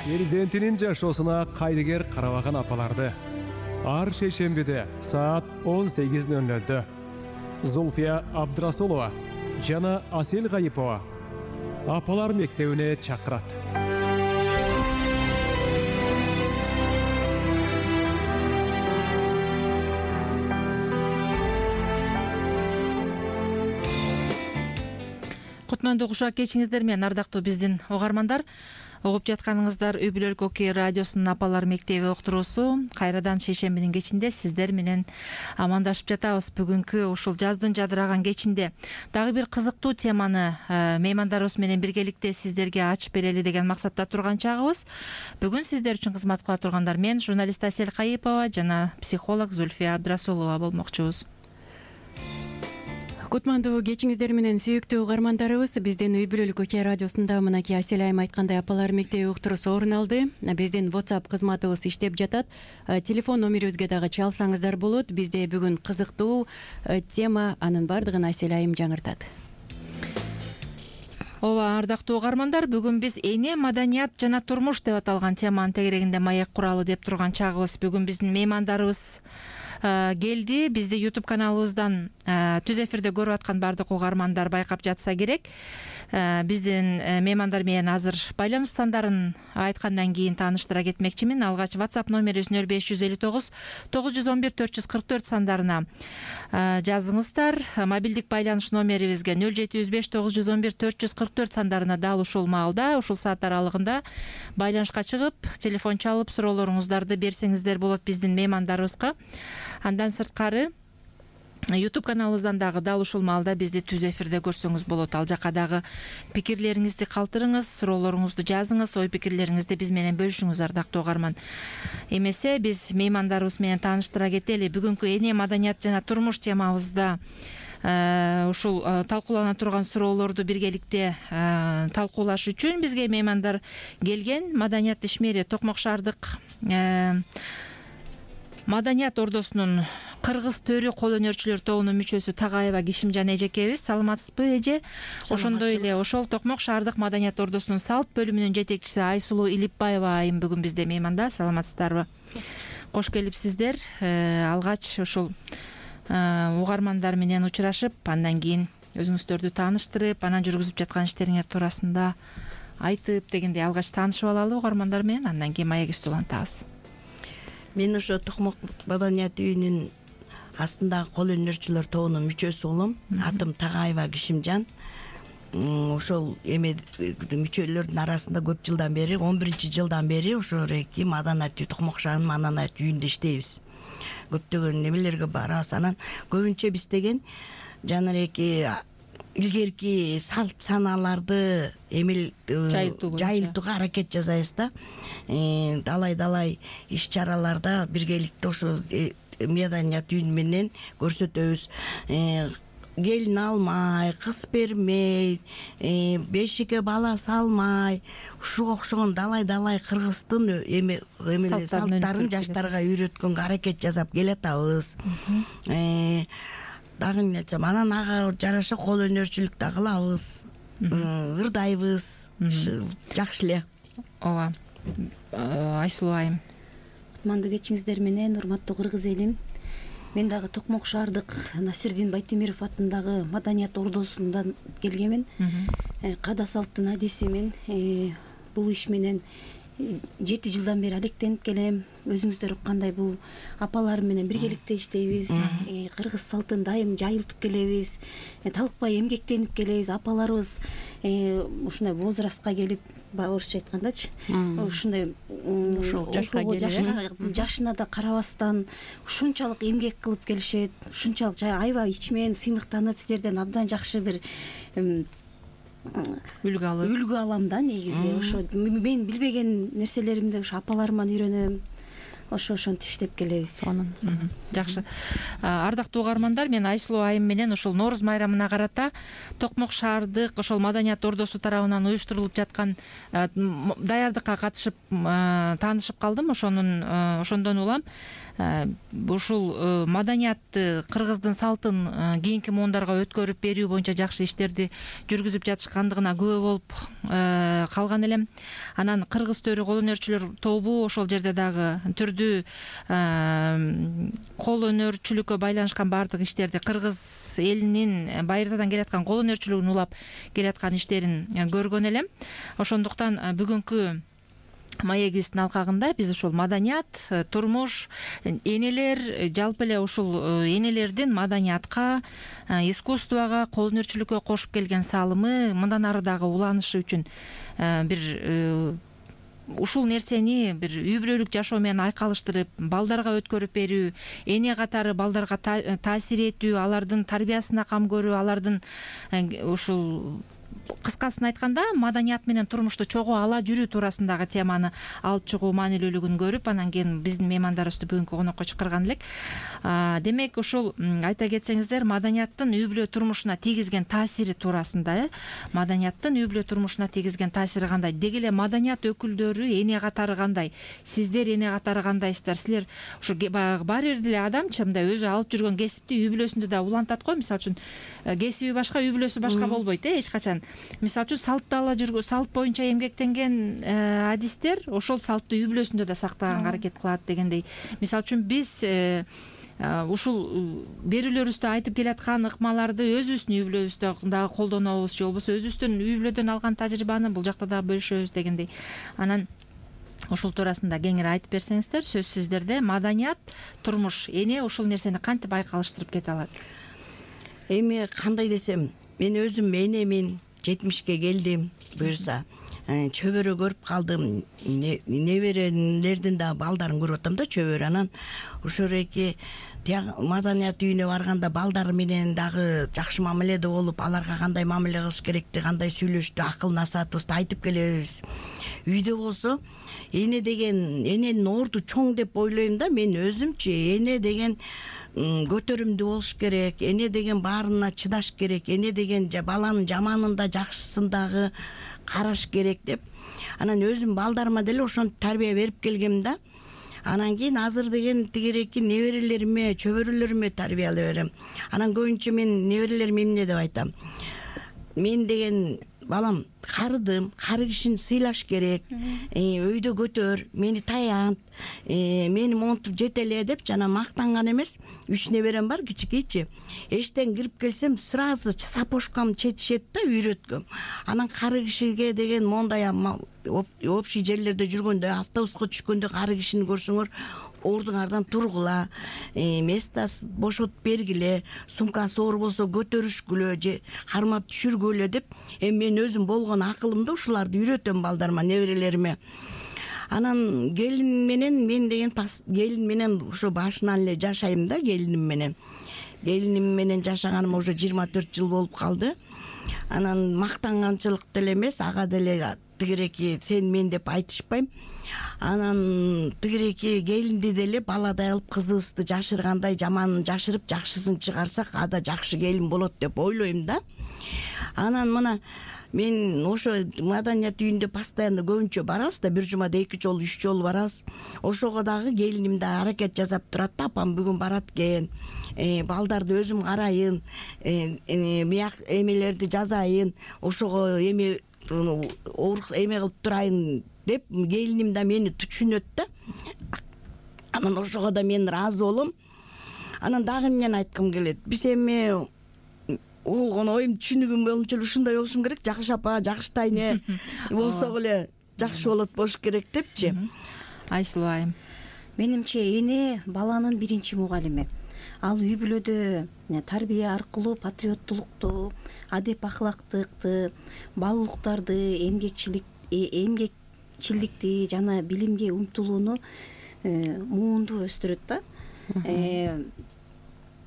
Перзентинин жашоосуна кайдыгер карабаган апаларды ар шейшембиде саат 18:00 Зульфия Абдрасулова жана Асел Гайипова апалар мектебине чакырат. Кутмандуу кушак кечиңиздер менен ардактуу биздин угармандар. Угуп жатканыңыздар Үй бүлөлүк окуя радиосунун апалар мектеби уктуруусу. Кайрадан шейшембинин кечинде сиздер менен амандашып жатабыз. Бүгүнкү ушул жаздын жадыраган кечинде дагы бир кызыктуу теманы меймандарыбыз менен биргеликте сиздерге ачып берели деген максатта турган чагыбыз. Бүгүн сиздер үчүн кызмат кыла тургандар мен журналист Асел Гайипова жана психолог Зульфия Абдрасулова болмокчубуз. Кутмандуу кечиңиздер менен сүйүктүү угармандарыбыз, биздин Үй бүлөлүк окуя радиосунда мынакей Асел айым айткандай апалар мектеби уктуруусу орун алды. Биздин WhatsApp кызматыбыз иштеп жатат. Телефон номерибизге дагы чалсаңыздар болот. Бизде бүгүн кызыктуу тема, анын бардыгын Асел айым жаңыртат. Ооба, ардактуу угармандар, бүгүн биз эне, маданият жана турмуш деп аталган теманын тегерегинде маек куралы деп турган чагыбыз. Бүгүн биздин меймандарыбыз келди. Бизди YouTube каналыбыздан түз эфирде көрүп аткан бардык угармандар байкап жатса керек. Биздин меймандар менен азыр байланыш сандарын айткандан кийин тааныштыра кетмекчимин. Алгач WhatsApp номерибиз 0559 911 444 сандарына жазыңыздар. Мобилдик байланыш номерибизге 0705 911 444 сандарына дал ушул маалда, ушул саат аралыгында байланышка чыгып, телефон чалып суроолоруңуздарды берсеңиздер болот биздин меймандарыбызга. Андан сырткары YouTube каналыбыздан дагы дал ушул маалда бизди түз эфирде көрсөңүз болот. Ал жака дагы пикирлериңизди калтырыңыз, суроолоруңузду жазыңыз, ой пикирлериңизди биз менен бөлүшүңүз, ардактуу угарман. Эмесе биз меймандарыбыз менен тааныштыра кетели. Бүгүнкү эне, маданият жана турмуш темабызда ушул талкуулана турган суроолорду биргеликте талкуулаш үчүн бизге меймандар келген. Маданият ишмери Токмок шаардык Маданият ордосунун Кыргыз төрү кол өнөрчүлөр тобунун мүчөсү Тагаева Кишимжан эжекебиз. Саламатсызбы, эже? Ошондой эле ошол Токмок шаардык Маданият ордосунун салт бөлүмүнүн жетекчиси Айсулуу Илипбаева айым бүгүн бизде мейманда. Саламатсыздарбы? Кош келипсиздер. Алгач ушул угармандар менен учурашып, андан кийин өзүңүздөрдү тааныштырып, анан жүргүзүп жаткан иштериңер туурасында айтып дегендей алгач таанышып алалы угармандар менен, андан кийин маегибизди улантабыз. Мен ошо Токмок Маданият үйүнүн астындагы кол өнөрчүлөр тобунун мүчөсү болом. Атым Тагаева Кишимжан. Ошол мүчөлөрдүн арасында көп жылдан бери, 11-жылдан бери ошо эки Маданият үй, Токмок шаарынын Маданият үйүндө иштейбиз. Көптөгөн немелерге барабыз. Анан көбүнчө биз деген жанареки илгерки салт санааларды жайылтууга аракет жасайбыз да. Далай иш-чараларда биргеликте ошо Маданият үйүн менен көрсөтөбүз. Келин алмай, кыз бермей, бешикке бала салмай, ушуга окшогон далай кыргыздын салттарын жаштарга үйрөткөнгө аракет жасап келатабыз. Дагы эмне айтсам, анан ага жараша кол өнөрчүлүк да кылабыз, ырдайбыз. Жакшы эле. Ооба. Айсулуу айым. Кутмандуу кечиңиздер менен, урматтуу кыргыз элим. Мен дагы Токмок шаардык Насирдин Байтемиров атындагы Маданият ордосундан келгенмин. Када салттын адисимин. Бул иш менен 7 жылдан бери алектенип келем. Өзүңүздөр уккандай бул апалар менен биргеликте иштейбиз. Кыргыз салтын дайым жайылтып келебиз. Талыкпай эмгектенип келебиз. Апаларыбыз ушундай возрастка келип, орусча айткандачы, ушундай жашына да карабастан ушунчалык эмгек кылып келишет. Ушунчалык аябай ичмен сыймыктанып, силерден абдан жакшы бир үлгү алам да негизи. Ошо мен билбеген нерселеримди ошо апаларыман үйрөнөм. ошентип иштеп келебиз. Жакшы. Ардактуу угармандар, мен Айсулуу айым менен ушул Нооруз майрамына карата Токмок шаардык ошол маданият ордосу тарабынан уюштурулуп жаткан даярдыкка катышып таанышып калдым. Ошондон улам ушул маданиятты, кыргыздын салтын кийинки муундарга өткөрүп берүү боюнча жакшы иштерди жүргүзүп жатышкандыгына күбө болуп калган элем. Анан кыргыз төрү кол өнөрчүлөр тобу ошол жерде дагы түрдүү кол өнөрчүлүккө байланышкан баардык иштерди, кыргыз элинин байыртадан келаткан кол өнөрчүлүгүн улап келаткан иштерин көргөн элем. Ошондуктан бүгүнкү маегибиздин алкагында биз ушул маданият, турмуш, энелер, жалпы эле ушул энелердин маданиятка, искусствого, кол өнөрчүлүккө кошуп келген салымы, мындан ары дагы уланышы үчүн бир ушул нерсени бир үй бүлөлүк жашоо менен айкалыштырып, балдарга өткөрүп берүү, эне катары балдарга таасир этүү, алардын тарбиясына кам көрүү, алардын ушул кыскасын айтканда маданият менен турмушту чогуу ала жүрүү туурасындагы теманы алып чыгуу маанилүүлүгүн көрүп, анан кийин биздин меймандарыбызды бүгүнкү конокко чакырган элек. Демек ушул айта кетсеңиздер, маданияттын үй бүлө турмушуна тийгизген таасири туурасында, маданияттын үй бүлө турмушуна тийгизген таасири кандай? Деги эле маданият өкүлдөрү эне катары кандай? Сиздер эне катары кандайсыздар? Силер ушу баягы баары бир деле адамчы мындай өзү алып жүргөн кесипти үй бүлөсүндө да улантат го. Мисалы үчүн кесиби башка, үй бүлөсү башка болбойт эч качан. Мисалы үчүн салтты ала жүргөн, салт боюнча эмгектенген адистер ошол салтты үй бүлөсүндө да сактаганга аракет кылат дегендей. Мисалы үчүн биз ушул берүүлөрүбүздө айтып келаткан ыкмаларды өзүбүздүн үй бүлөбүздө дагы колдонобуз, же болбосо өзүбүздүн үй бүлөдөн алган тажрыйбаны бул жакта дагы бөлүшөбүз дегендей. Анан ушул туурасында кеңири айтып берсеңиздер, сөз сиздерде. Маданият, турмуш, эне ушул нерсени кантип айкалыштырып кете алат? Эми кандай десем, мен өзүм энемин 70ке келдим, буюрса чөбөрө көрүп калдым, неберелердин да балдарын көрүп атам да, чөбөрө. Анан ошол эки маданият үйүнө барганда балдары менен дагы жакшы мамиледе болуп, аларга кандай мамиле кылыш керекти, кандай сүйлөштү, акыл насаатыбызды айтып келебиз. Үйдө болсо эне деген, эненин орду чоң деп ойлойм да мен өзүмчү. Эне деген көтөрүмдүү болуш керек, эне деген баарына чыдаш керек, эне деген баланын жаманын да жакшысын дагы караш керек деп. Анан өзүм балдарыма деле ошентип тарбия берип келгем да. Анан кийин азыр деген тигиреки неберелериме, чөбөрөлөрүмө тарбиялай берем. Анан көбүнчө мен неберелериме эмне деп айтам? Мен деген балам карыдым, кары кишини сыйлаш керек, өйдө көтөр, мени таянт, мени монтуп жете эле деп жана мактанган эмес. 3 неберем бар, кичикейчи. Эштен кирип келсем сразу сапожкам четишет да, үйрөткөм. Анан кары кишиге деген мондай общий жерлерде жүргөндө, автобуска түшкөндө кары кишини көрсөңөр, ордуңардан тургула, место бошотуп бергиле, сумкасы оор болсо көтөрүшкүлө же кармап түшүргүлө деп. Эми мен өзүм болгон акылымды ушуларды үйрөтөм балдарыма, неберелериме. Анан келин менен, мен деген келин менен ошо башынан эле жашайм да, келиним менен жашаганыма уже 24 жыл болуп калды. Анан мактанганчылык деле эмес, ага деле тигиреки сен мен деп айтышпайм. Анан тигиреки келинди деле баладай кылып кызыбызды жашыргандай, жаманын жашырып жакшысын чыгарсак, ада жакшы келин болот деп ойлойм да. Анан мына мен ошо маданият үйүндө постоянно көбүнчө барабыз да, бир жумада 2 жолу 3 жолу барабыз. Ошого дагы келиним да аракет жасап турат да, апам бүгүн барат экен, балдарды өзүм карайын, эмелерди жазайын, ошого эме кылып турайын деп келиним да мени түшүнөт да. Анан ошого да мен ыраазы болом. Анан дагы эмнени айткым келет? Биз эми болгон оюм түшүнүгүм боюнча ушундай болушум керек, жакшы апа, жакшы тайне болсок эле жакшы болуш керек депчи. Айсулуу айым. Менимче эне баланын биринчи мугалими. Ал үй бүлөдө тарбия аркылуу патриоттулукту, адеп ахлактыкты, баалуулуктарды, эмгекчилдикти жана билимге умтулууну муунду өстүрөт да.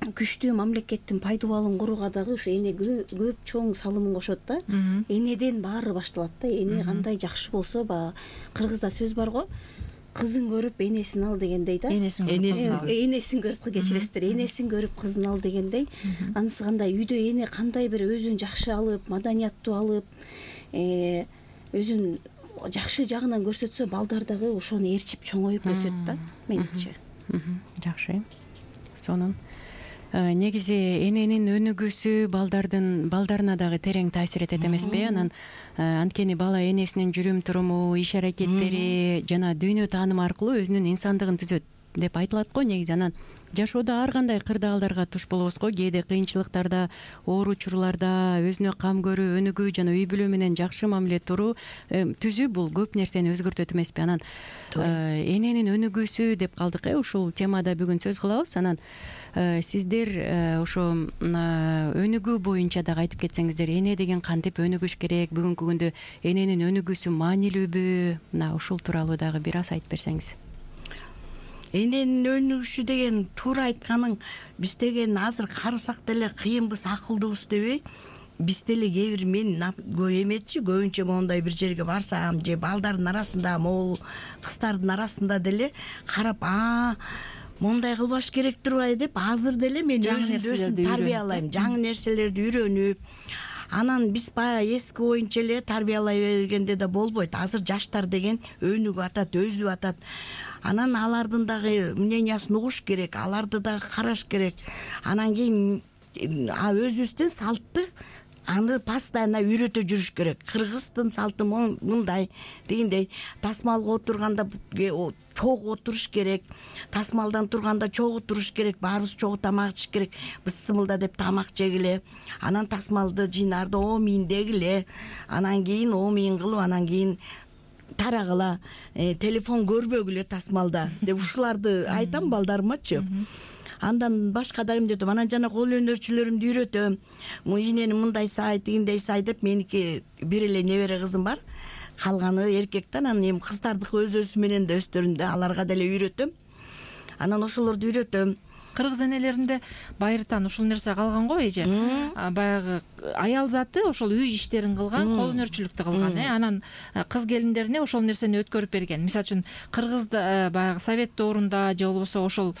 Күчтүү мамлекеттин пайдубалын курууга дагы ушу эне көп чоң салымын кошот да. Энеден баары башталат да. Эне кандай жакшы болсо, баягы кыргызда сөз бар го, кызын көрүп энесин ал дегендей да. Энесин көрүп кечиресиздер, энесин көрүп кызын ал дегендей. Анысы кандай үйдө эне кандай бир өзүн жакшы алып, маданияттуу алып, өзүн жакшы жагынан көрсөтсө, балдар дагы ошону ээрчип чоңоюп өсөт да, менимче. Жакшы. Сонун негизи эненин өнүгүүсү балдарына дагы терең таасир этет эмеспи? Анан анткени бала энесинин жүрүм туруму, иш аракеттери жана дүйнө таанымы аркылуу өзүнүн инсандыгын түзөт деп айтылат го негизи. Анан жашоодо ар кандай кырдаалдарга туш болобуз го. Кээде кыйынчылыктарда, оор учурларда өзүнө кам көрүү, өнүгүү жана үй бүлө менен жакшы мамиле түзүү бул көп нерсени өзгөртөт эмеспи? Анан эненин өнүгүүсү деп калдык. Ушул темада бүгүн сөз кылабыз. Анан сиздер ошо өнүгүү боюнча дагы айтып кетсеңиздер, эне деген кантип өнүгүш керек, бүгүнкү күндө эненин өнүгүүсү маанилүүбү? Мына ушул тууралуу дагы бир аз айтып берсеңиз. Эненин өнүгүшү деген туура айтканың, биз деген азыр карасак деле кыйынбыз, акылдуубуз дебей, биз деле кээ бир мен эмечи көбүнчө моундай бир жерге барсам же балдардын арасында, могу кыздардын арасында деле карап, мондай кылбаш керек турбайбы деп азыр деле мен өзүмдү тарбиялайм, жаңы нерселерди үйрөнүп. Анан биз баягы эски боюнча эле тарбиялай бергенде да болбойт. Азыр жаштар деген өнүгүп атат, өзүп атат. Анан алардын дагы мнениясын угуш керек, аларды дагы караш керек. Анан кийин өзүбүздүн салтты аны постоянно үйрөтө жүрүш керек. Кыргыздын салты мындай дегендей, тасмалга отурганда чогуу отуруш керек, тасмалдан турганда чогуу туруш керек, баарыбыз чогуу тамак ичиш керек, бысымылда деп тамак жегиле, анан тасмалды жыйнарды оомийин дегиле, анан кийин оомийин кылып, анан кийин тарагыла, телефон көрбөгүлө тасмалда деп ушуларды айтам балдарымачы. Андан башка да эмне деп, анан жана кол өнөрчүлөрүмдү үйрөтөм. Инени мындай сай, тигиндей сай деп. Меники бир эле небере кызым бар, калганы эркек да. Анан эми кыздардыкы өз менен да өстөрүндө, аларга деле үйрөтөм. Анан ошолорду үйрөтөм. Кыргыз энелеринде байыртан ушул нерсе калган го эже. Баягы аял заты ошол үй иштерин кылган, кол өнөрчүлүктү кылган, анан кыз келиндерине ошол нерсени өткөрүп берген. Мисалы үчүн кыргызда баягы совет доорунда же болбосо ошол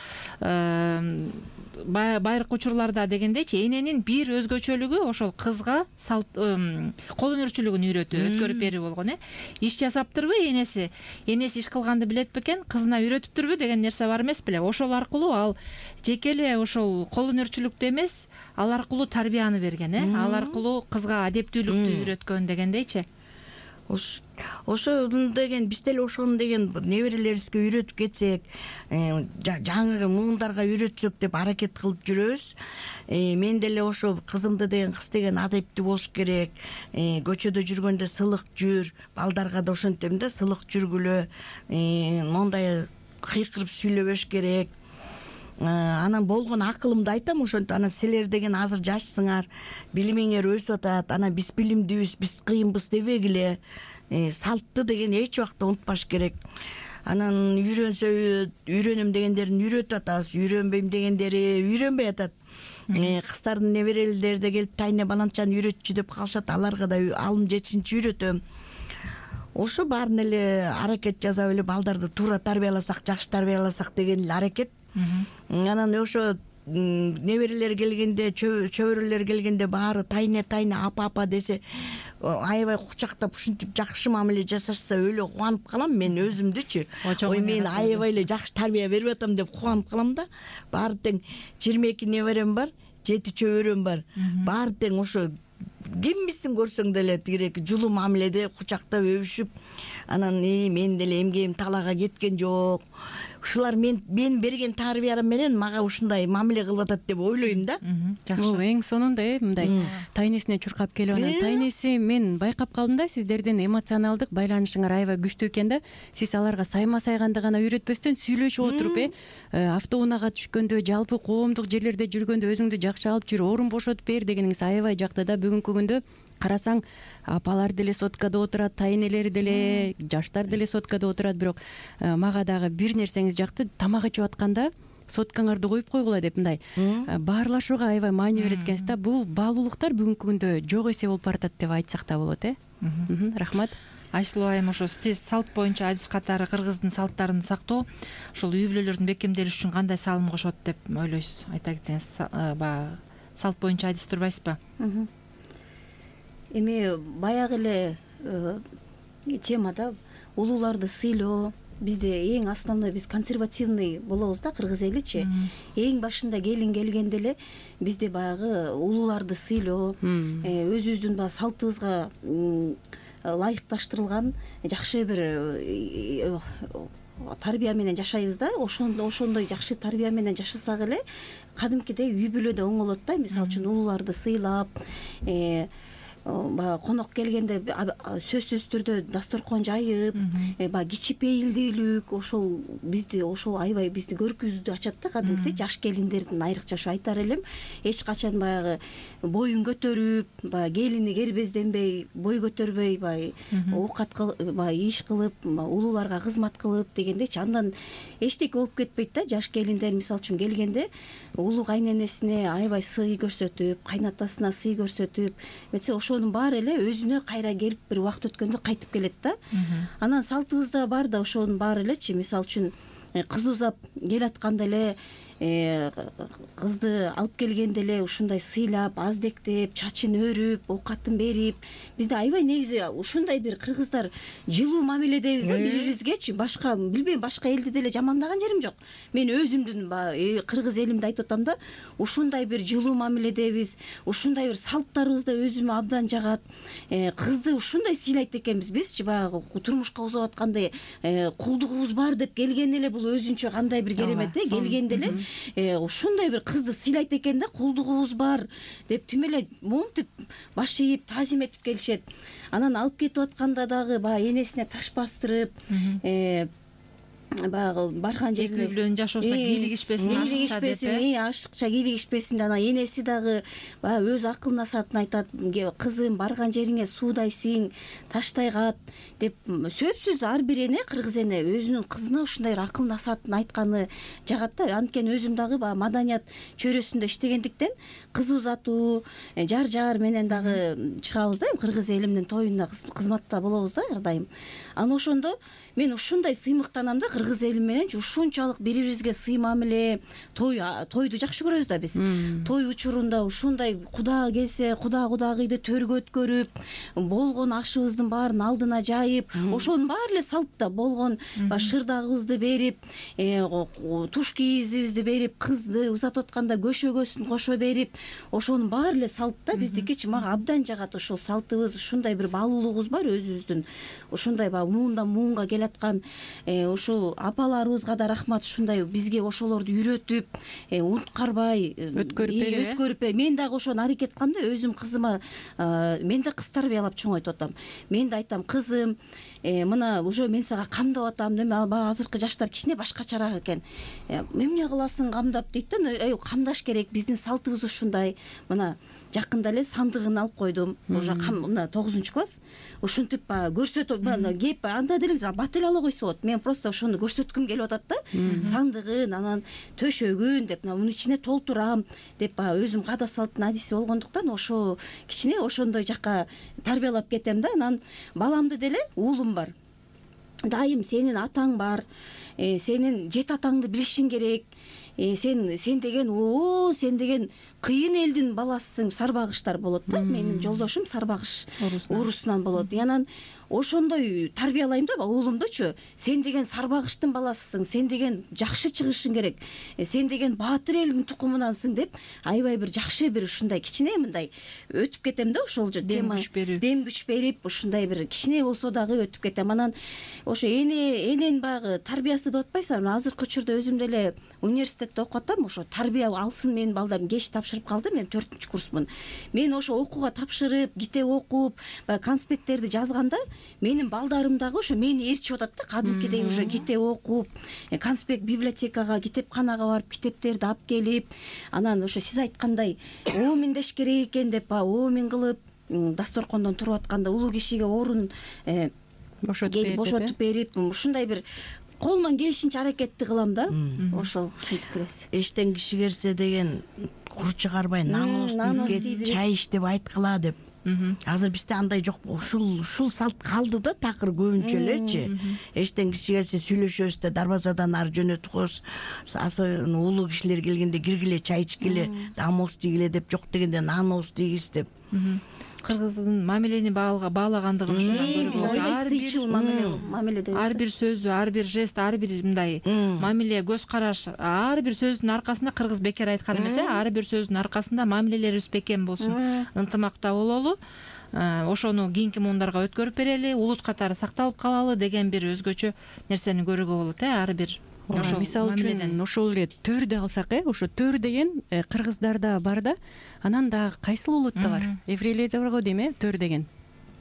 байыркы учурларда дегендейчи, эненин бир өзгөчөлүгү ошол кызга кол өнөрчүлүгүн үйрөтүү, өткөрүп берүү болгон. Иш жасаптырбы энеси иш кылганды билет бекен, кызына үйрөтүптүрбү деген нерсе бар эмес беле. Ошол аркылуу ал жеке эле ошол кол өнөрчүлүктү эмес, ал аркылуу тарбияны берген, ал аркылуу кызга адептүүлүктү үйрөткөн дегендейчи. Ошо деген биз деле ошону деген неберелерибизге үйрөтүп кетсек, жаңы муундарга үйрөтсөк деп аракет кылып жүрөбүз. Мен деле ошо кызымды деген, кыз деген адептүү болуш керек, көчөдө жүргөндө сылык жүр, балдарга да ошентем да, сылык жүргүлө, мондай кыйкырып сүйлөбөш керек. Анан болгон акылымды айтам ошентип. Анан силер деген азыр жашсыңар, билимиңер өсүп атат, анан биз билимдүүбүз, биз кыйынбыз дебегиле. Салтты деген эч убакта унутпаш керек. Анан үйрөнөм дегендерин үйрөтүп атабыз, үйрөнбөйм дегендери үйрөнбөй атат. Кыздардын неберелери да келип тайне баланчаны үйрөтчү деп калышат, аларга да алым жетишинче үйрөтөм. Ошо баарын эле аракет жасап эле балдарды туура тарбияласак, жакшы тарбияласак деген эле аракет. Анан ошо неберелер келгенде, чөбөрөлөр келгенде баары тайне апа десе, аябай кучактап ушинтип жакшы мамиле жасашса өлө кубанып калам мен өзүмдүчү. Ой, мен аябай эле жакшы тарбия берип атам деп кубанып калам да. Баары тең 22 неберем бар, 7 чөбөрөм бар. Баары тең ошо кимбисин көрсөң деле тигирээки жулуу мамиледе кучактап өбүшүп, анан мен деле эмгегим талаага кеткен жок. Ушулар мен берген тарбиям менен мага ушундай мамиле кылып атат деп ойлойм да. Бул эң сонунда мындай тайнесине чуркап келип, анан тайнеси мен байкап калдым да, сиздердин эмоционалдык байланышыңар аябай күчтүү экен да. Сиз аларга сайма-сайганды гана үйрөтпөстөн сүйлөшүп отуруп, автоунаага түшкөндө, жалпы коомдук жерлерде жүргөндө өзүңдү жакшы алып жүр, орун бошотуп бер дегениңиз аябай жакты да. Бүгүнкү күндө карасаң, апалар деле соткада отурат, тайнелер деле, жаштар деле соткада отурат, бирок мага дагы бир нерсеңиз жакты, тамак ичип атканда соткаңарды коюп койгула деп мындай баарлашууга аябай маани берет экенсиз да. Бул баалуулуктар бүгүнкү күндө жок эсе болуп баратат деп айтсак да болот. Рахмат. Айсулуу айым, ошо сиз салт боюнча адис катары кыргыздын салттарын сактоо ушул үй бүлөлөрдүн бекемделиши үчүн кандай салым кошот деп ойлойсуз? Айта кетсеңиз, баягы салт боюнча адис турбайсызбы? Эми баягы эле темада улууларды сыйлоо бизде эң основной, биз консервативный болобуз да, кыргыз эличи. Эң башында келин келгенде эле бизде баягы улууларды сыйлоо, өзүбүздүн баягы салтыбызга ылайыкташтырылган жакшы бир тарбия менен жашайбыз да. Ошондой жакшы тарбия менен жашасак эле кадимкидей үй бүлөдө оңолот да. Мисалы үчүн улууларды сыйлап, баягы конок келгенде сөзсүз түрдө дасторкон жайып, баягы кичипейилдүүлүк, ошол бизди аябай бизди көркүбүздү ачат да. Кадимкидей жаш келиндердин айрыкча ошо айтар элем, эч качан баягы боюн көтөрүп, баягы келини кербезденбей, бой көтөрбөй, баягы оокат баягы иш кылып, улууларга кызмат кылып дегендейчи. Андан эчтеке болуп кетпейт да. Жаш келиндер мисалы үчүн келгенде улуу кайненесине аябай сый көрсөтүп, кайнатасына сый көрсөтүп, ошонун баары эле өзүнө кайра келип бир убакыт өткөндө кайтып келет да. Анан салтыбызда бар да ошонун баары элечи. Мисалы үчүн кыз узап келатканда эле кызды алып келгенде эле ушундай сыйлап, аздектеп, чачын өрүп, оокатын берип, бизде аябай негизи ушундай бир кыргыздар жылуу мамиледебиз да бири-бирибизгечи. Башка билбейм, башка элди деле жамандаган жерим жок. Мен өзүмдүн кыргыз элимди айтып атам да, ушундай бир жылуу мамиледебиз, ушундай бир салттарыбыз да өзүмө абдан жагат. Кызды ушундай сыйлайт экенбиз бизчи, баягы турмушка узап атканда кулдугубуз бар деп келгенде эле бул өзүнчө кандай бир керемет келгенде эле ушундай бир кызды сыйлайт экен да, кулдугубуз бар деп тим эле монтип баш ийип таазим этип келишет. Анан алып кетип атканда дагы баягы энесине таш бастырып, баягы барган жерине эки бүлөнүн жашоосуна кийлигишпесин, ашыкча кийлигишпесин. Анан энеси дагы баягы өз акыл насаатын айтат, кызым барган жериңе суудай сиң, таштай кат деп. Сөзсүз ар бир эне, кыргыз эне өзүнүн кызына ушундай бир акыл насаатын айтканы жагат да. Анткени өзүм дагы баягы маданият чөйрөсүндө иштегендиктен кыз узатуу, жар менен дагы чыгабыз да, кыргыз элимдин тоюна кызматта болобуз да ар дайым. Анан ошондо мен ушундай сыймыктанам да, кыргыз элим мененчи ушунчалык бири-бирибизге сый мамиле. Тойду жакшы көрөбүз да биз. Той учурунда ушундай куда келсе, кудагыйды төргө өткөрүп, болгон ашыбыздын баарын алдына жайып, ошонун баары эле салтта болгон шырдагыбызды берип, туш кийизибизди берип, кызды узатып атканда көшөгөсүн кошо берип, ошонун баары эле салтта биздикичи. Мага абдан жагат ошол салтыбыз, ушундай бир баалуулугубуз бар өзүбүздүн. Ушундай баягы муундан муунга келаткан ушул апаларыбызга да рахмат, ушундай бизге ошолорду үйрөтүп, унуткарбай өткөрүп. Мен дагы ошону аракет кылам да, өзүм кызыма, мен да кыз тарбиялап чоңойтуп атам. Мен да айтам, кызым, мына уже мен сага камдап атам, баягы азыркы жаштар кичине башкачараак экен. Эмне кыласың камдап дейт да. Камдаш керек, биздин салтыбыз ушундай. Мына жакында эле сандыгын алып койдум, уже мына 9-класс. Ушинтип көрсөтүп, кеп анда деле бат эле ала койсо болот. Мен просто ошону көрсөткүм келип атат да. Сандыгын, анан төшөгүн деп, мунун ичине толтурам деп, өзүм када салттын адиси болгондуктан ошо кичине ошондой жакка тарбиялап кетем да. Анан баламды деле, уулум бар. Дайым сенин атаң бар, сенин жет атаңды билишиң керек. Сен деген кыйын элдин баласысың. Сарбагыштар болот да. Менин жолдошум сарбагыш урусунан болот. Анан ошондой тарбиялайм да уулумдучу. Сен деген сарбагыштын баласысың, сен деген жакшы чыгышың керек, сен деген баатыр элдин тукумунансың деп, аябай бир жакшы бир ушундай кичине мындай өтүп кетем да. Ошол тема дем күч берип, ушундай бир кичине болсо дагы өтүп кетем. Анан ошо эненин баягы тарбиясы деп атпайсыңбы? Азыркы учурда өзүм деле университетте окуп атам. Ошо тарбия алсын менин балдарым. Кеч тапшырып калды, мен 4-курсмун. Мен ошо окууга тапшырып, китеп окуп, конспекттерди жазганда, менин балдарым дагы ошо мени ээрчип атат да. Кадимкидей уже китеп окуп, конспект библиотекага, китепканага барып, китептерди алып келип, анан ошо сиз айткандай ооминдеш керек экен деп, оомин кылып, дасторкондон туруп атканда улуу кишиге орун бошотуп берип, ушундай бир колуман келишинче аракетти кылам да. Ошол ушинтип келеси. Эштен киши келсе деген кур чыгарбай, нан ост дейт, чай ич деп айткыла деп Азыр бизде андай жок. Ушул салт калды да такыр көбүнчө элечи. Эчтен кичи келсе сүйлөшөбүз да дарбазадан ары жөнөтүп коебуз. Особенно улуу кишилер келгенде киргиле чай ичкиле, амоос тийгиле деп, жок дегенде нан ооз тийгиз деп. Кыргыздын мамилени баалагандыгын ушундан көрүп ар бир сөзү, ар бир жест, ар бир мындай мамиле, көз караш, ар бир сөздүн аркасында кыргыз бекер айткан эмес, ар бир сөздүн аркасында мамилелерибиз бекем болсун, ынтымакта бололу, ошону кийинки муундарга өткөрүп берели, улут катары сакталып калалы деген бир өзгөчө нерсени көрүүгө болот. Ар бир мисалы үчүн ошол эле төрдү алсак, ошо төр деген кыргыздарда бар да, анан дагы кайсыл улутта бар? Еврейлерде бар го дейм, төр деген.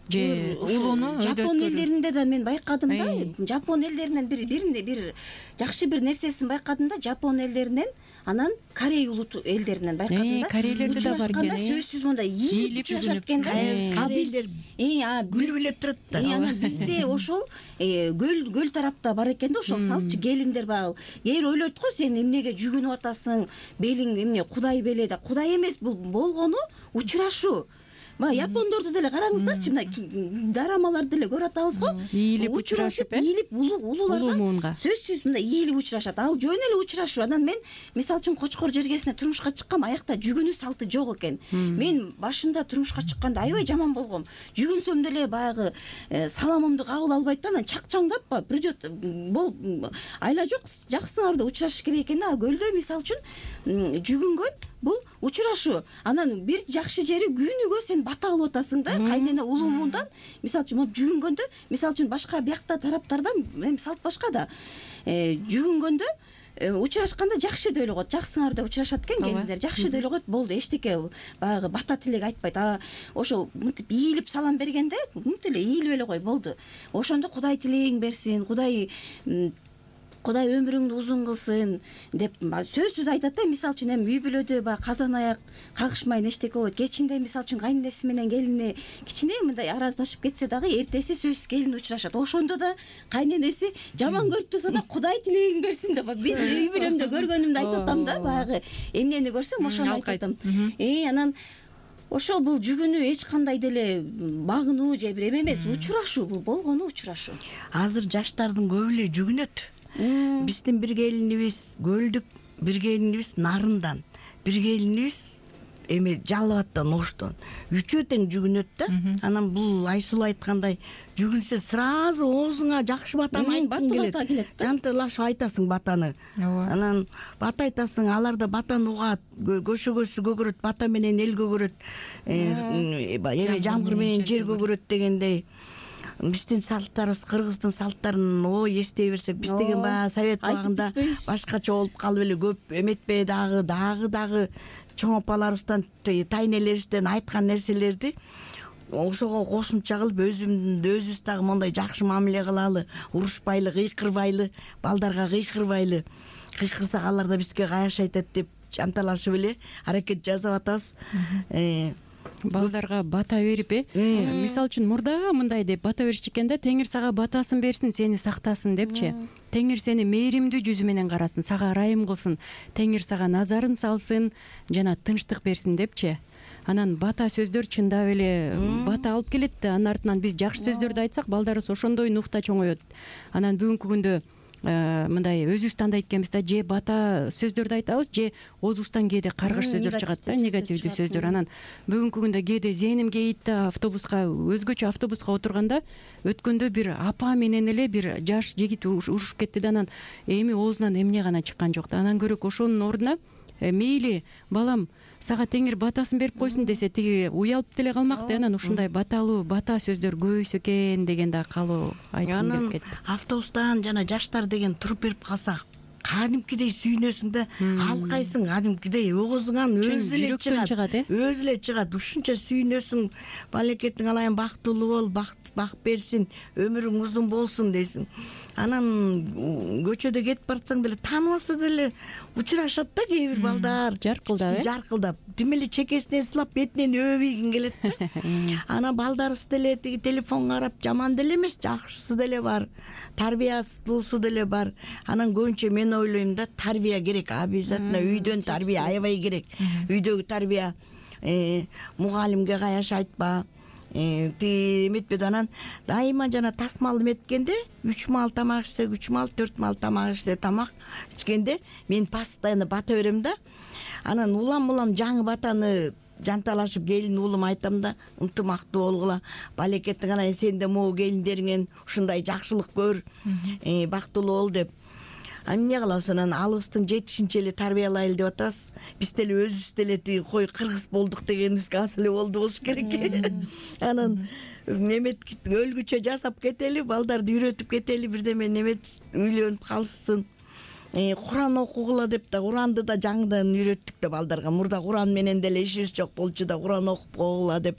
Же улууну Жапон элдеринде да мен байкадым да. Жапон элдеринен бир жакшы бир нерсесин байкадым да. Жапон элдеринен, анан Корей улут элдеринен байкадым да. Корейлерде да бар экен. Сөзсүз мындай ийилип жүрүшат экен да. Корейлер күрүп турат да. Анан бизде ошол көл тарапта бар экен да, ошол салтчы келиндер багыл. Кээ бир ойлойт го, сен эмнеге жүгүнүп атасың, белиң эмне Кудай беле да. Кудай эмес, бул болгону учурашуу. Япондорду деле караңыздарчы, мына дорамаларды деле көрүп атабыз го. Ийилип учурашып, ийилип улууларга сөзсүз мындай ийилип учурашат. Ал жөн эле учурашуу. Анан мен мисалы үчүн Кочкор жергесине турмушка чыккам, аякта жүгүнүү салты жок экен. Мен башында турмушка чыкканда аябай жаман болгом. Жүгүнсөм деле баягы саламымды кабыл албайт да, анан чакчаңдап придет айла жок, жаксыңарды учурашыш керек экен да. Көлдө мисалы үчүн жүгүнгөн бул учурашуу. Анан бир жакшы жери күнүгө сен бата алып атасың да, кайнене улуумундан. Мисалы үчүн жүгүнгөндө, мисалы үчүн башка биякта тараптарда салт башка да. Жүгүнгөндө учурашканда жакшы деп эле коет, жаксыңар деп учурашат экен келиндер. Жакшы деп эле коет, болду, эчтеке баягы бата тилек айтпайт. Ошо мынтип ийилип салам бергенде, мынтип эле ийилип эле кой, болду. Ошондо Кудай тилегиң берсин, Кудай өмүрүңдү узун кылсын деп сөзсүз айтат да. Мисалы үчүн эми үй бүлөдө баягы казан аяк кагышмайын эчтеке болот. Кечинде мисалы үчүн кайненеси менен келини кичине мындай араздашып кетсе дагы, эртеси сөзсүз келин учурашат. Ошондо да кайненеси жаман көрүп турса да Кудай тилегиң берсин деп мен үй бүлөмдө көргөнүмдү айтып атам да. Баягы эмнени көрсөм ошону айтып атам. Анан ошол бул жүгүнүү эч кандай деле багынуу же бир эме эмес, учурашуу, бул болгону учурашуу. Азыр жаштардын көбү эле жүгүнөт. Биздин бир келинибиз Көлдүк, бир келинибиз Нарындан, бир келинибиз Жалал Оштон. Үчөө тең жүгүнөт да. Анан бул Айсулуу айткандай, жүгүнсө сразу оозуңа жакшы батаны айткың келет. Жантылашып айтасың батаны. Анан бата айтасың, алар да батаны угат, көшөгөсү көгөрөт, бата менен эл көгөрөт, жамгыр менен жер көгөрөт дегендей. Биздин салттарыбыз, кыргыздын салттарын эстей берсек, биз деген баягы совет убагында башкача болуп калып эле көп эметпей дагы чоң апаларыбыздан, тайнелерибизден айткан нерселерди ошого кошумча кылып өзүбүз дагы мондай жакшы мамиле кылалы, урушпайлы, кыйкырбайлы, балдарга кыйкырбайлы. Кыйкырсак алар да бизге каяш айтат деп жанталашып эле аракет жасап атабыз. Балдарга бата берип, мисалы үчүн мурда мындай деп бата беришчи экен да, Теңир сага батасын берсин, сени сактасын депчи. Теңир сени мээримдүү жүзү менен карасын, сага ырайым кылсын, Теңир сага назарын салсын, жана тынчтык берсин депчи. Анан бата сөздөр чындап эле бата алып келет да, анын артынан биз жакшы сөздөрдү айтсак, балдарыбыз ошондой нухта чоңоет. Анан бүгүнкү күндө мындай өзүбүз тандайт экенбиз да, же бата сөздөрдү айтабыз, же оозубуздан кээде каргыш сөздөр чыгат да, негативдүү сөздөр. Анан бүгүнкү күндө кээде зээним кейит да, өзгөчө автобуска отурганда өткөндө бир апа менен эле бир жаш жигит урушуп кетти да, анан эми оозунан эмне гана чыккан жок да. Анан көрөк ошонун ордуна мейли балам сага Теңир батасын берип койсун десе, тиги уялып деле калмак да. Анан ушундай баталуу бата сөздөр көбөйсө экен деген да калуу айткым келип кетти. Автобустан жана жаштар деген туруп берип калса, кадимкидей сүйүнөсүң да, алкайсың, кадимкидей оозуңан өзү эле чыгат. Ушунча сүйүнөсүң, балекетиң алайын, бактылуу бол, бак берсин, өмүрүң узун болсун дейсиң. Анан көчөдө кетип барсаң деле тааныбаса деле учурашат да кээ бир балдар. Жаркылдап, тим эле чекесинен сылап, бетинен өбөйгүң келет да. Анан балдарыбыз деле тиги телефонго карап жаман деле эмес, жакшысы деле бар, тарбиясыздуусу деле бар. Анан көбүнчө мен ойлойм да, тарбия керек, обязательно үйдөн тарбия аябай керек. Үйдөгү тарбия мугалимге каяш айтпа, эметпеди. Анан дайыма жана тасмал эметкенде 3 маал тамак ичсек, 3 маал 4 маал тамак ичсе, тамак ичкенде мен постоянно бата берем да. Анан улам жаңы батаны жанталашып келин уулум айтам да, ынтымактуу болгула, балекеттик, анан сен да могу келиндериңен ушундай жакшылык көр, бактылуу бол деп. Эмне кылабыз, анан алыбыздын жетишинче эле тарбиялайлы деп атабыз. Биз деле өзүбүз деле тиги кой кыргыз болдук дегенибизге азыр эле болду болуш керек. Анан немет өлгүчө жасап кетели, балдарды үйрөтүп кетели, бирдеме немет үйлөнүп калышсын. Куран окугула деп да, Куранды да жаңыдан үйрөттүк да балдарга. Мурда Куран менен деле ишибиз жок болчу да, Куран окуп койгула деп.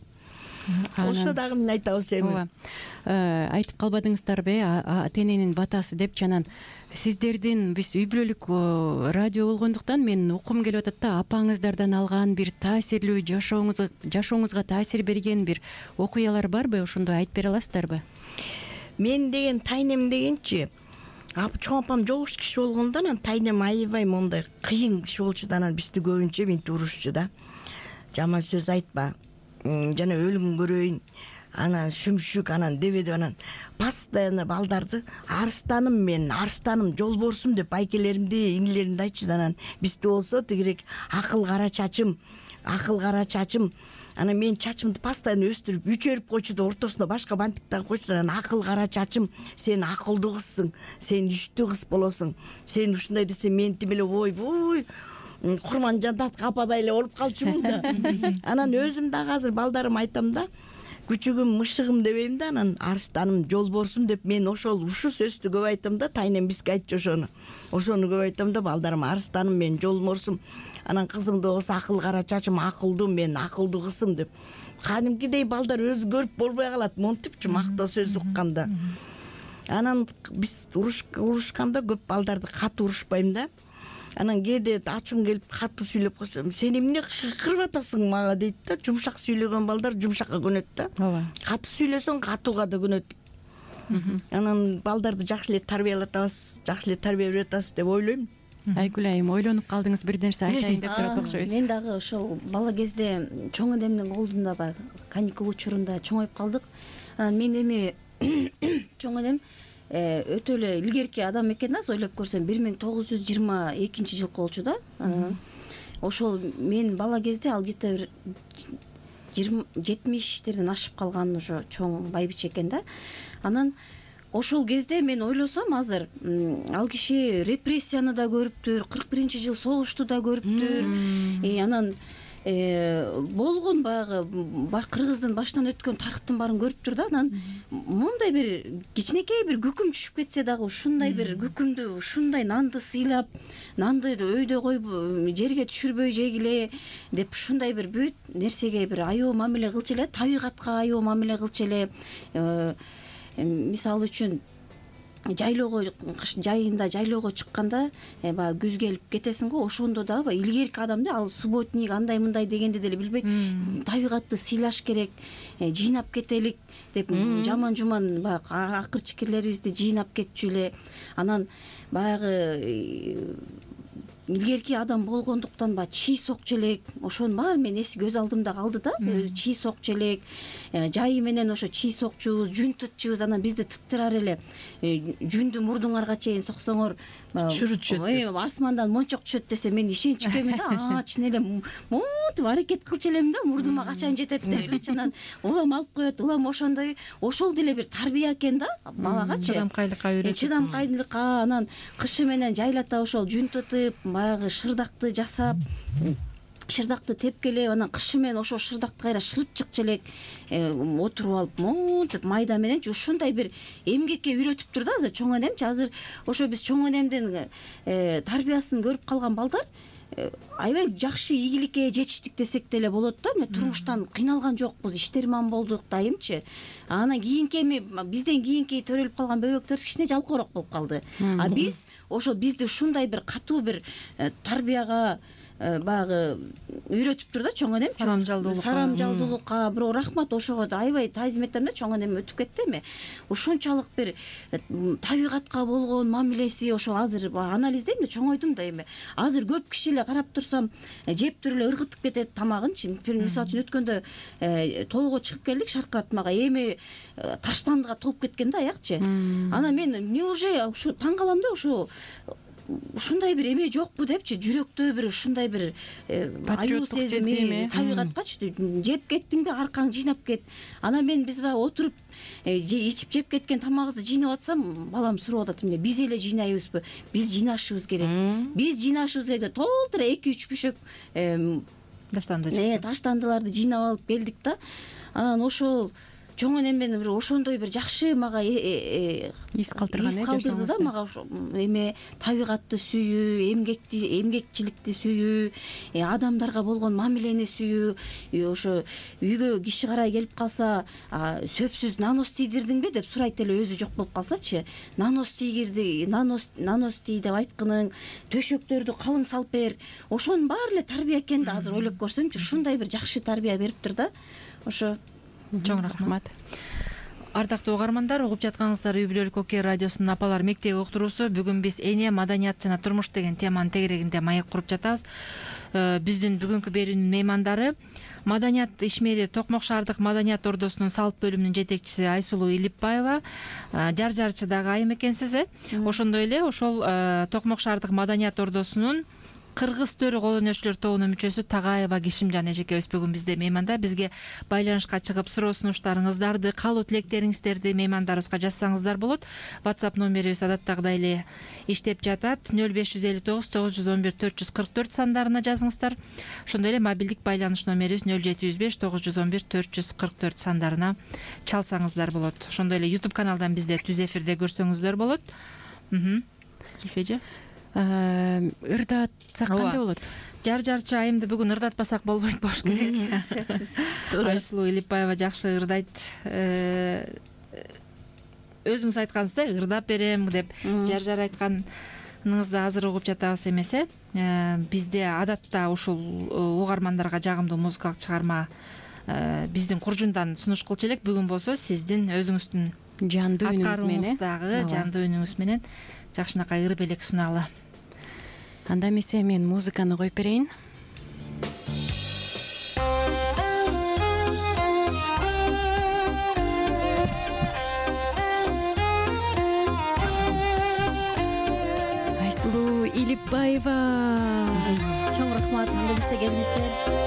Ошо дагы эмне айтабыз эми? Айтып калбадыңыздарбы, ата-эненин батасы деп. Жанан сиздердин биз үй бүлөлүк радио болгондуктан мен уккум келип атат да, апаңыздардан алган бир таасирлүү жашооңузга таасир берген бир окуялар барбы? Ошондой айтып бере аласыздарбы? Мен деген тайнем дегенчи, чоң апам жогуш киши болгондон, анан тайнем аябай мондай кыйын киши болчу да, анан бизди көбүнчө минтип урушчу да. Жаман сөз айтпа, жана өлүм көрөйүн, анан шүмшүк, анан дебедип, анан постоянно балдарды арстаным, жолборсум деп байкелеримди, иңилеримди айтчу да. Анан бизде болсо тигирээк акыл кара чачым. Анан мен чачымды постоянно өстүрүп, үчөрүп койчу да, ортосуна башка бантик тагып койчу да. Анан акыл кара чачым, сен акылдуу кызсың, сен иштүү кыз болосуң, сен ушундай десең мен тим эле ойбуй Курманжандат кападай эле болуп калчумун да. Анан өзүм дагы азыр балдарыма айтам да, күчүгүм, мышыгым дебейм да, анан арстаным, жолборсум деп мен ушу сөздү көп айтам да. Тайнем бизге айтчу ошону көп айтам да балдарыма, арстаным, мен жолборсум. Анан кызымды болсо акыл кара чачым, акылдуу, мен акылдуу кызым деп. Кадимкидей балдар өзү көрүп болбой калат, монтипчи мактоо сөз укканда. Анан биз урушканда көп балдарды катуу урушпайм да. Анан кээде ачууң келип катуу сүйлөп койсом, сен эмне кырып атасың мага дейт да. Жумшак сүйлөгөн балдар жумшакка көнөт да. Ооба. Катуу сүйлөсөң катууга да көнөт. Анан балдарды жакшы эле тарбиялатабыз, жакшы эле тарбия берип атабыз деп ойлойм. Айгүл айым, ойлонуп калдыңыз, бир нерсе айтайын деп турат окшойсуз. Мен дагы ошол бала кезде чоң энемдин колунда баягы каникул учурунда чоңоюп калдык. Анан мен эми чоң энем өтө эле илгерки адам экен да, ойлоп көрсөм 1922-жылкы болчу да. Ошол мен бала кезде ал где-то 70-терден ашып калган ошо чоң байбиче экен да. Анан ошол кезде мен ойлосом азыр ал киши репрессияны да көрүптүр, 41-жыл согушту да көрүптүр. Анан болгон баягы кыргыздын башынан өткөн тарыхтын баарын көрүптүр да. Анан мондай бир кичинекей бир күкүм түшүп кетсе дагы ушундай бир күкүмдү, ушундай нанды сыйлап, нанды өйдө коюп жерге түшүрбөй жегиле деп ушундай бир бүт нерсеге бир аяоо мамиле кылчу эле, табигатка аяоо мамиле кылчу эле. Мисалы үчүн жайында жайлоого чыкканда баягы күз келип кетесиң го, ошондо дагы баягы илгерки адам да, ал субботник андай мындай дегенди деле билбейт. Табигатты сыйлаш керек, жыйнап кетелик деп жаман жуман баягы акыр чикирлерибизди жыйнап кетчү эле. Анан баягы илгерки адам болгондуктан баягы чий сокчу элек, ошонун баары менин көз алдымда калды да. Чий сокчу элек, жайы менен ошо чий сокчубуз, жүн тытчубуз. Анан бизди тыттырар эле. Жүндү мурдуңарга чейин соксоңор чүрүтүшөт, асмандан мончок түшөт десе мен ишенчүк эми да. Чын эле монтип аракет кылчу элем да, мурдума качан жетет деп элечи. Анан улам алып коет, улам ошондой. Ошол деле бир тарбия экен да балагачы. Чыдамкайлыкка үйрөтүп. Чыдамкайлыкка, анан кышы менен жайлата ошол жүн тытып, баягы шырдакты жасап, шырдакты тепкелеп, анан кышы менен ошол шырдакты кайра шырып чыкчу элек, отуруп алып монтип майда мененчи ушундай бир эмгекке үйрөтүптүр да азыр чоң энемчи. Азыр ошо биз чоң энемдин тарбиясын көрүп калган балдар аябай жакшы ийгиликке жетиштик десек деле болот да. Мен турмуштан кыйналган жокпуз, иштерман болдук дайымчы. Анан кийинки эми бизден кийинки төрөлүп калган бөбөктөр кичине жалкоорок болуп калды. Биз ошо бизди ушундай бир катуу бир тарбияга баягы үйрөтүптүр да чоң энем сарамжалдуулукка бирок рахмат ошого аябай таазим этем да чоң энем өтүп кетти эми ушунчалык бир табигатка болгон мамилеси ошол азыр анализдейм да чоңойдум да эми азыр көп киши эле карап турсам жеп туруп эле ыргытып кетет тамагынчы мисалы үчүн өткөндө тоого чыгып келдик Шаркыратмага эми таштандыга толуп кеткен да аякчы анан мен неужели ушу таң калам да ушундай бир эме жокпу депчи жүрөктө бир ушундай бир аюу сезими табигаткачы жеп кеттиңби аркаң жыйнап кет анан биз баягы отуруп ичип жеп кеткен тамагыбызды жыйнап атсам балам сурап атат эмне биз эле жыйнайбызбы биз жыйнашыбыз керек толтура 2-3 бүшөк таштандыларды жыйнап алып келдик да анан ошол чоң энем менен бир ошондой бир жакшы мага ис калтырды да мага эме табигатты сүйүү эмгекчиликти сүйүү адамдарга болгон мамилени сүйүү ошо үйгө киши карай келип калса сөпсүз нанос тийдирдиңби деп сурайт эле өзү жок болуп калсачы нанос тийгирди нанос тий деп айткының төшөктөрдү калың салып бер ошонун баары эле тарбия экен да азыр ойлоп көрсөмчү ушундай бир жакшы тарбия бериптир да ошо чоң рахмат. Ардактуу угармандар, угуп жатканыңыздар Үй бүлөлүк Окей радиосунун Апалар мектеби уктуруусу. Бүгүн биз эне, маданият жана турмуш деген теманын тегерегинде маек куруп жатабыз. Биздин бүгүнкү берүүнүн меймандары Маданият ишмери Токмок шаардык Маданият ордосунун салт бөлүмүнүн жетекчиси Айсулуу Илипбаева, жар-жарчы дагы айым экенсиз, ошондой эле ошол Токмок шаардык Маданият ордосунун кыргыз төрү кол өнөрчүлөр тобунун мүчөсү Тагаева Кишимжан эжекебиз бүгүн бизде мейманда. Бизге байланышка чыгып суроо сунуштарыңыздарды, каалоо тилектериңиздерди меймандарыбызга жазсаңыздар болот. WhatsApp номерибиз адаттагыдай эле иштеп жатат. 0559 911 444 сандарына жазыңыздар. Ошондой эле мобилдик байланыш номерибиз 0705 911 444 сандарына чалсаңыздар болот. Ошондой эле YouTube каналдан бизде түз эфирде көрсөңүздөр болот. Зүлфи ырдатсак кандай болот? Жар-жарчы айымды бүгүн ырдатпасак болбойт болуш керек. Айсулуу Илипбаева жакшы ырдайт. Өзүңүз айткансыз, ырдап берем деп жар айтканыңызды азыр угуп жатабыз эмес. Бизде адатта ушул угармандарга жагымдуу музыкалык чыгарма биздин куржундан сунуш кылчу элек. Бүгүн болсо сиздин өзүңүздүн жандуу аткарууңуздагы жандуу үнүңүз менен жакшынакай ыр белек сунаалы. Анда эмесе мен музыканы коюп берейин. Айсулуу Илипбаева. Чоң рахмат, анда эмесе келиңиздер.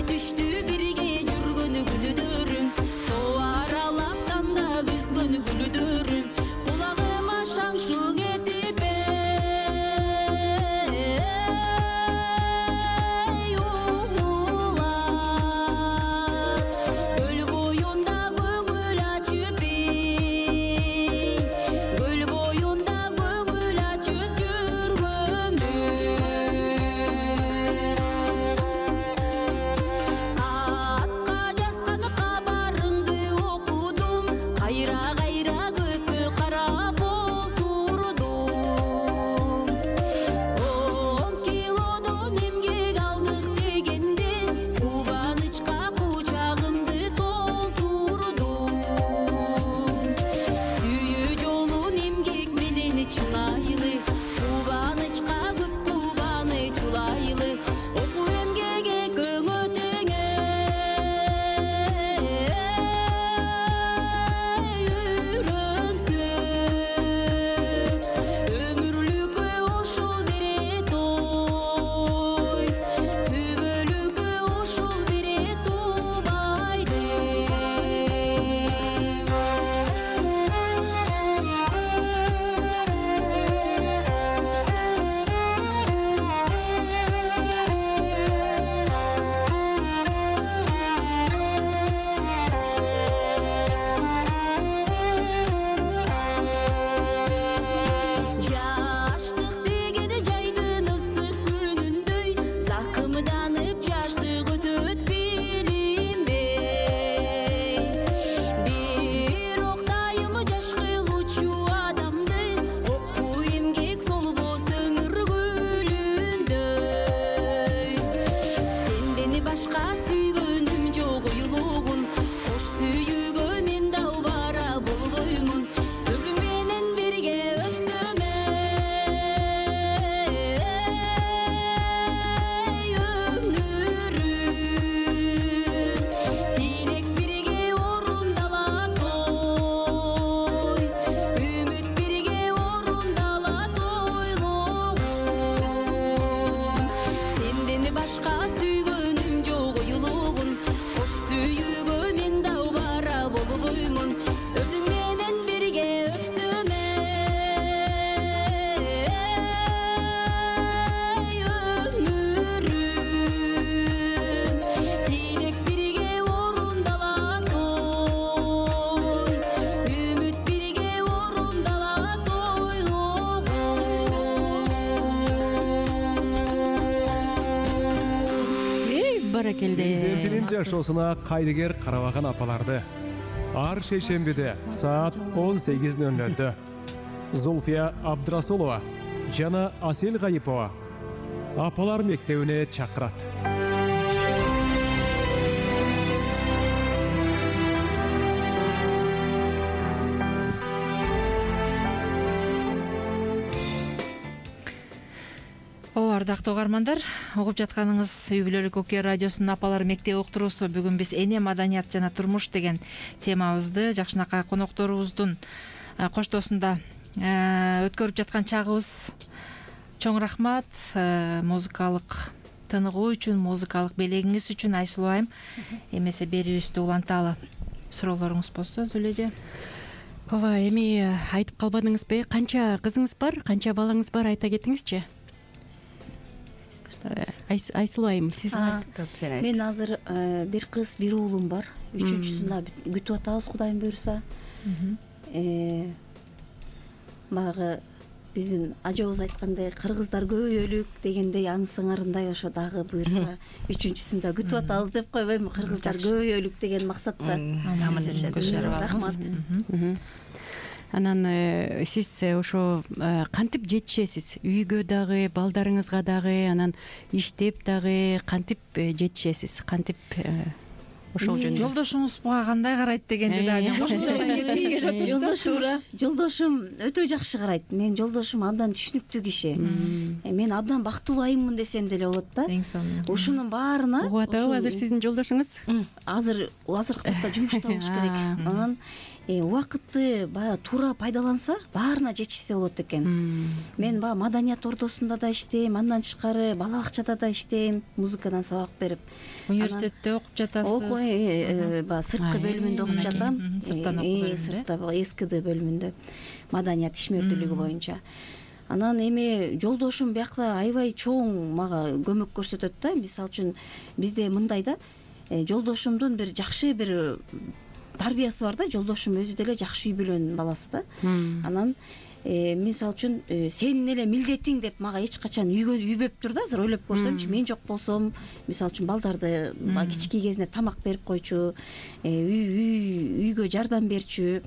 Düştü birge жүргөнү күнүдөрүм, то аралап канда баракелде. Перзентинин жашоосуна кайдыгер карабаган апаларды ар шейшембиде саат 18:00 Зулфия Абдрасулова жана Асел Гайипова апалар мектебине чакырат. Ардактуу угармандар, угуп жатканыңыз Үй бүлөлүк окуя радиосунун апалар мектеби уктуруусу. Бүгүн биз эне, маданият жана турмуш деген темабызды жакшынакай конокторубуздун коштоосунда өткөрүп жаткан чагыбыз. Чоң рахмат музыкалык тыныгуу үчүн, музыкалык белегиңиз үчүн. Айсулуу айым, эмесе берүүбүздү уланталы. Суроолоруңуз болсо Зүлө эже. Ооба, эми айтып калбадыңызбы? Канча кызыңыз бар, канча балаңыз бар, айта кетиңизчи. Айсулуу айым, сиз? Мен азыр бир кыз, бир уулум бар. Үчүнчүсүн күтүп атабыз, Кудайым буйруса. Баягы биздин ажообуз айткандай, кыргыздар көбөйөлүк дегендей, анын сыңарындай ошо дагы буйруса үчүнчүсүн да күтүп атабыз деп койбойм. Кыргыздар көбөйөлүк деген максатта. Рахмат. Анан сиз ошо кантип жетишесиз? Үйгө дагы, балдарыңызга дагы, анан иштеп дагы кантип жетишесиз? Кантип ошол жөнүндө? Жолдошуңуз буга кандай карайт дегенди дагы мен кошумча Жолдошум өтө жакшы карайт. Менин жолдошум абдан түшүнүктүү киши. Мен абдан бактылуу айыммын десем деле болот да. Ушунун баарына угуп атабы азыр сиздин жолдошуңуз? Азыркы тапта жумушта болуш керек. Анан убакытты баягы туура пайдаланса, баарына жетишсе болот экен. Мен баягы маданият ордосунда да иштейм, андан тышкары бала бакчада да иштейм, музыкадан сабак берип. Университетте окуп жатасыз? Баягы сырткы бөлүмүндө окуп жатам. Сырттан окуп бөлүмүндө? Сыртта СКД бөлүмүндө, маданият ишмердүүлүгү боюнча. Анан эми жолдошум биякта аябай чоң мага көмөк көрсөтөт да. Мисалы үчүн бизде мындай да, жолдошумдун бир жакшы бир тарбиясы бар да. Жолдошум өзү деле жакшы үй бүлөнүн баласы да. Анан мисалы үчүн сенин эле милдетиң деп мага эч качан үйбөптүр да. Азыр ойлоп көрсөмчү, мен жок болсом, мисалы үчүн балдарды кичинекей кезинде тамак берип койчу, үйгө жардам берчү.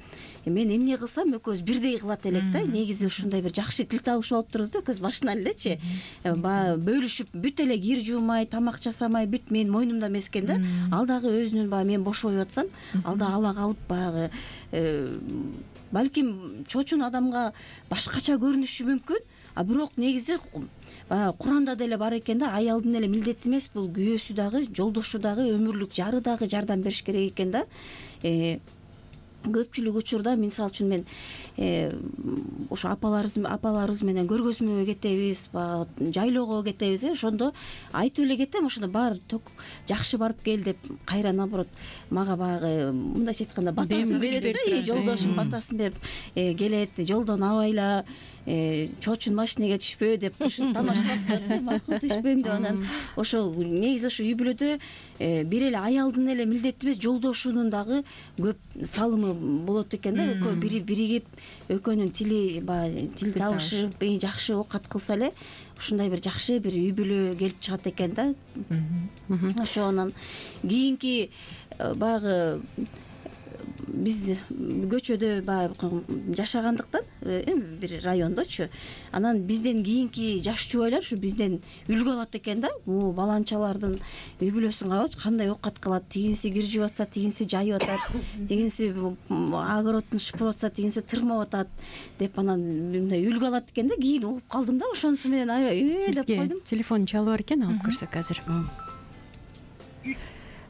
Мен эмне кылсам экөөбүз бирдей кылат элек да. Негизи ушундай бир жакшы тил табышып алыптырбыз да экөөбүз башынан элечи. Баягы бөлүшүп бүт эле кир жуумай, тамак жасамай, бүт менин мойнумда эмес экен да. Ал дагы өзүнүн баягы мен бош коюп атсам, ал да ала калып баягы балким чочун адамга башкача көрүнүшү мүмкүн, а бирок негизи Куранда деле бар экен да, аялдын эле милдети эмес, бул күйөөсү дагы, жолдошу дагы, өмүрлүк жары дагы жардам бериш керек экен да. Көпчүлүк учурда мисалы үчүн мен ошо апаларыбыз менен көргөзмөгө кетебиз, жайлоого кетебиз, ошондо айтып эле кетем, ошондо баары жакшы барып кел деп кайра наоборот мага баягы мындайча айтканда батасын берет да. Жолдошум батасын берип келет, жолдон абайла, чочун машинеге түшпө деп ушинтип тамашалап коет, макул түшпөйм деп. Анан ошо негизи ошо үй бүлөдө бир эле аялдын эле милдети эмес, жолдошунун дагы көп салымы болот экен да. Экөө биригип, экөөнүн тил табышып, жакшы оокат кылса эле ушундай бир жакшы бир үй бүлө келип чыгат экен да. Ошо анан кийинки баягы биз көчөдө баягы жашагандыктан бир райондочу, анан бизден кийинки жаш жубайлар ушу бизден үлгү алат экен да. Могу баланчалардын үй бүлөсүн карагычы, кандай оокат кылат, тигинси кир жууп атса, тигинси жайып атат, тигинси огородун шыпырып атса, тигинси тырмап атат деп, анан мындай үлгү алат экен да. Кийин угуп калдым да, ошонусу менен аябай деп койдум. Телефон чалып бар экен, алып көрсөк азыр.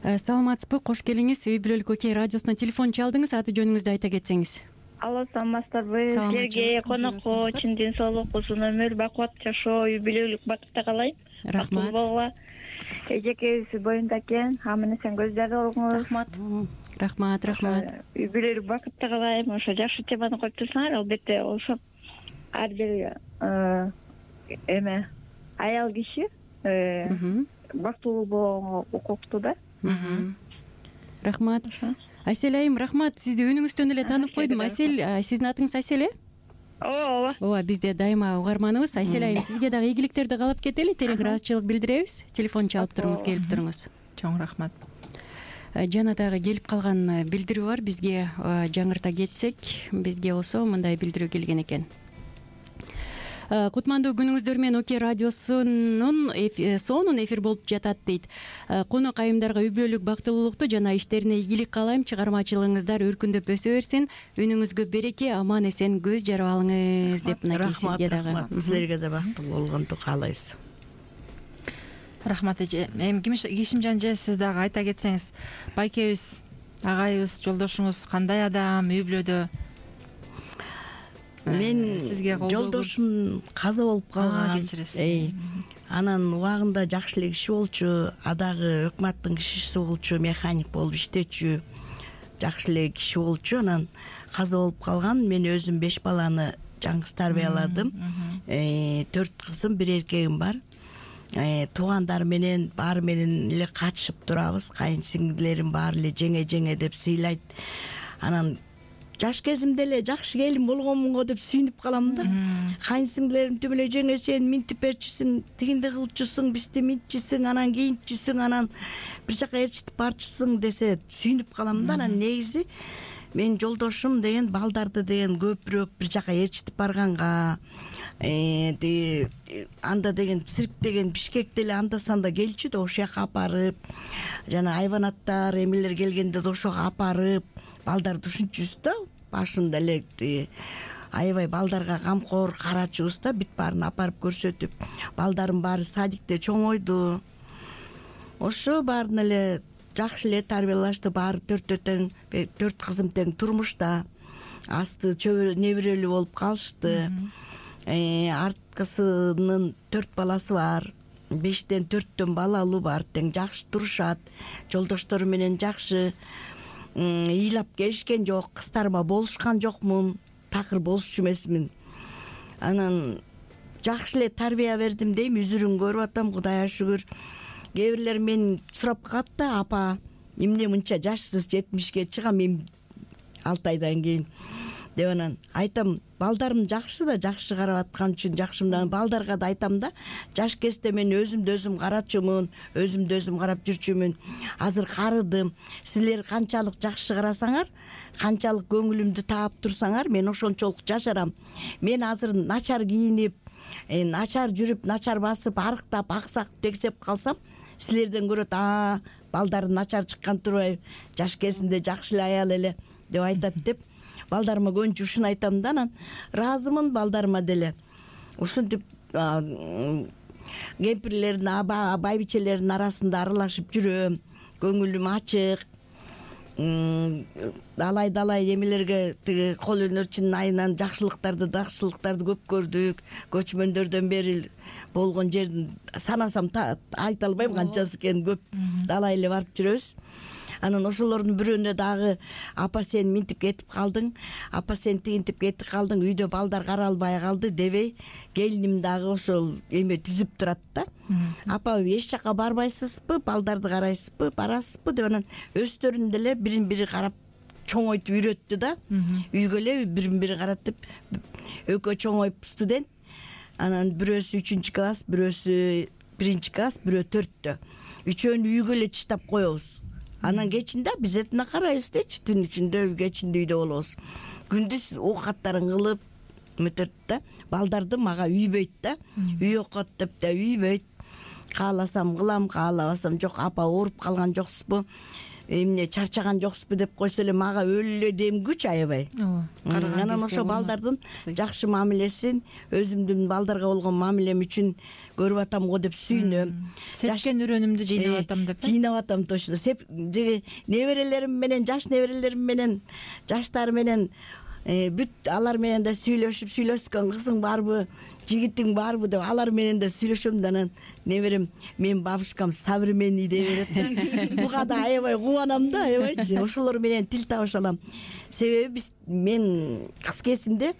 Саламатсызбы, кош келиңиз. Үй бүлөлүк окей радиосуна телефон чалдыңыз, аты жөнүңүздү айта кетсеңиз. Алло, саламатсыздарбы? Силерге конокко чын ден соолук, узун өмүр, бакубат жашоо, үй бүлөлүк бакытта каалайм. Рахмат. Эжекебиз боюнда экен, аман эсен көздөй болуңуз. Рахмат. Үй бүлөлүк бакытта каалайм. Ошо жакшы теманы коюп турсуңар, албетте ошо ар бир аял киши бактылуу болууга укуктуу да. Рахмат. Айсел айым, рахмат. Сизди үнүңүздөн эле таанып койдум. Айсел, сиздин атыңыз Айсел э? Ооба, бизде дайыма угарманыбыз. Айсел айым, сизге дагы ийгиликтерди каалап кетели, терең ыраазычылык билдиребиз. Телефон чалып туруңуз, келип туруңуз. Чоң рахмат. Жана дагы келип калган билдирүү бар, бизге жаңырта кетсек. Бизге болсо мындай билдирүү келген экен. Кутмандуу күнүңүздөр менен ОК радиосунун сонун эфир болуп жатат дейт. Конок айымдарга үй бүлөлүк бактылуулукту жана иштерине ийгилик каалайм. Чыгармачылыгыңыздар өркүндөп өсө берсин. Үнүңүзгө береке, аман эсен көз жарып алыңыз деп мынакей сизге дагы. Рахмат. Силерге да бактылуу болгонду каалайбыз. Рахмат эже. Эми Кишимжан эже, сиз дагы айта кетсеңиз, байкебиз, агайыбыз, жолдошуңуз кандай адам, үй бүлөдө? Мен сизге жолдошум каза болуп калган. Кечиресиз. Анан убагында жакшы эле киши болчу, адагы өкмөттүн кишиси болчу, механик болуп иштечү, жакшы эле киши болчу. Анан каза болуп калган. Мен өзүм 5 баланы жаңгыз тарбияладым. 4 кызым, 1 эркегим бар. Туугандар менен баары менен эле катышып турабыз. Кайын сиңдилерим баары эле жеңе деп сыйлайт. Анан жаш кезимде эле жакшы келин болгонмун го деп сүйүнүп калам да. Кайын сиңдилерим түбү эле жеңе сен минтип берчүсүң, тигинди кылчусуң, бизди минтчүсүң, анан кийинтчүсүң, анан бир жака эрчитип барчусуң десе сүйүнүп калам да. Анан негизи мен жолдошум деген балдарды деген көпүрөөк бир жака эрчитип барганга, анда деген цирк деген Бишкекте эле анда санда келчү да, ошол жака апарып, жана айванаттар эмелер келгенде да ошого апарып, балдарды ушунчубуз да. Башында эле аябай балдарга камкор карачубуз да, бүт баарын апарып көрсөтүп, балдардын баары садикте чоңойду. Ошо баарын эле жакшы эле тарбиялашты. Баары 4 тең, 4 кызым тең турмушта. Асты неберелүү болуп калышты. Арткысынын 4 баласы бар. 5тен 4төн балалуу бар. Тең жакшы турушат. Жолдоштору менен жакшы ыйлап келишкен жок. Кыздарыма болушкан жокмун. Такыр болушчу эмесмин. Анан жакшы эле тарбия бердим дейм. Үзүрүн көрүп атам, Кудайга шүгүр. Кээ бирлер мен сурап калат да, апа, эмне мынча жашсыз 70ке чыгам эми 6 айдан кийин деп. Анан айтам, балдарым жакшы да, жакшы карап аткан үчүн жакшымдан. Балдарга да айтам да, жаш кезде мен өзүмдү өзүм карачумун, өзүмдү өзүм карап жүрчүмүн. Азыр карыдым. Силер канчалык жакшы карасаңар, канчалык көңүлүмдү таап турсаңар, мен ошончолук жашарам. Мен азыр начар кийинип, начар жүрүп, начар басып, арыктап, аксак тексеп калсам, силерден көрөт, балдары начар чыккан турбайбы, жаш кезинде жакшы эле аял эле деп айтат деп. Балдарыма көбүнчө ушуну айтам да. Анан ыраазымын балдарыма деле. Ушинтип кемпирлердин, байбичелердин арасында аралашып жүрөм. Көңүлүм ачык. Далай эмелерге тиги кол өнөрчүнүн айынан жакшылыктарды көп көрдүк. Көчмөндөрдөн бери болгон жердин санасам айта албайм канчасы экенин, көп далай эле барып жүрөбүз. Анан ошолордун бирөөнө дагы, апа сен минтип кетип калдың, апа сен тигинтип кетип калдың, үйдө балдар каралбай калды дебей, келиним дагы ошол эме түзүп турат да. Апа эч жака барбайсызбы, балдарды карайсызбы, барасызбы деп. Анан өздөрүн деле бирин бири карап чоңойтуп үйрөттү да. Үйгө эле бирин бири каратып, экөө чоңоюп студент. Анан бирөөсү 3-класс, бирөөсү 1-класс, бирөө 4-тө. Үчөөнү үйгө эле чыштап коебуз. Анан кечинде биз этине карайбыз дечи, түн ичинде, кечинде үйдө болобуз. Күндүз оокаттарын кылып метет да. Балдарды мага үйбөйт да. Үй окот деп да үйбөйт. Кааласам кылам, каалабасам жок. Апа ооруп калган жоксузбу? Эмне чарчаган жоксузбу деп койсо эле мага өлү эле демгүч аябай. Анан ошо балдардын жакшы мамилесин, өзүмдүн балдарга болгон мамилем үчүн көрүп атам го деп сүйүнөм. Сепкен үрөнүмдү жыйнап атам деп. Жыйнап атам точно. Неберелерим менен, жаш неберелерим менен, жаштар менен бүт алар менен да сүйлөшкөн кызың барбы, жигитиң барбы деп алар менен да сүйлөшөм да. Анан неберем, мен бабушкам современный деп берет да. Буга да аябай кубанам да, аябайчы. Ошолор менен тил табыша алам. Себеби мен кыз кезимде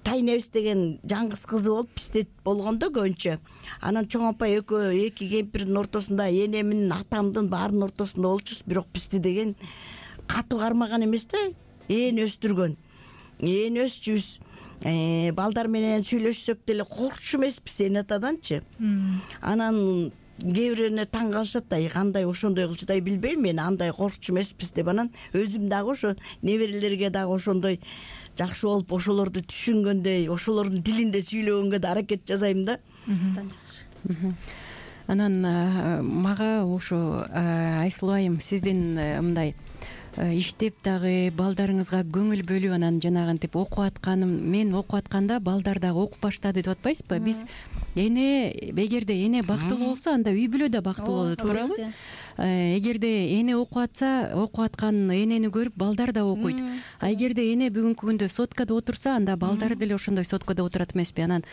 Тайнебиз деген жаңгыз кызы болуп бизде болгондо көбүнчө. Анан чоң апа эки кемпирдин ортосунда, энемдин, атамдын баарынын ортосунда болчубуз. Бирок бизди деген катуу кармаган эмес да, өстүргөн. Өсчүбүз. Балдар менен сүйлөшсөк деле коркчу эмеспиз эн атаданчы. Анан кээ бирөөүнө таң калышат да, кандай ошондой кылчу да, билбейм, мен андай коркчу эмеспиз деп. Анан өзүм дагы ошо неберелерге дагы ошондой жакшы болуп, ошолорду түшүнгөндөй, ошолордун тилинде сүйлөгөнгө да аракет жасайм да. Анан мага ошо Айсулуу айым, сиздин мындай иштеп дагы балдарыңызга көңүл бөлүп, анан жанагынтип окуп атканым, мен окуп атканда балдар дагы окуп баштады деп атпайсызбы? Биз эгерде эне бактылуу болсо, анда үй бүлө да бактылуу болот, туурабы? Эгерде эне окуп атса, окуп аткан энени көрүп балдар да окуйт. А эгерде эне бүгүнкү күндө соткада отурса, анда балдары деле ошондой соткада отурат эмеспи? Анан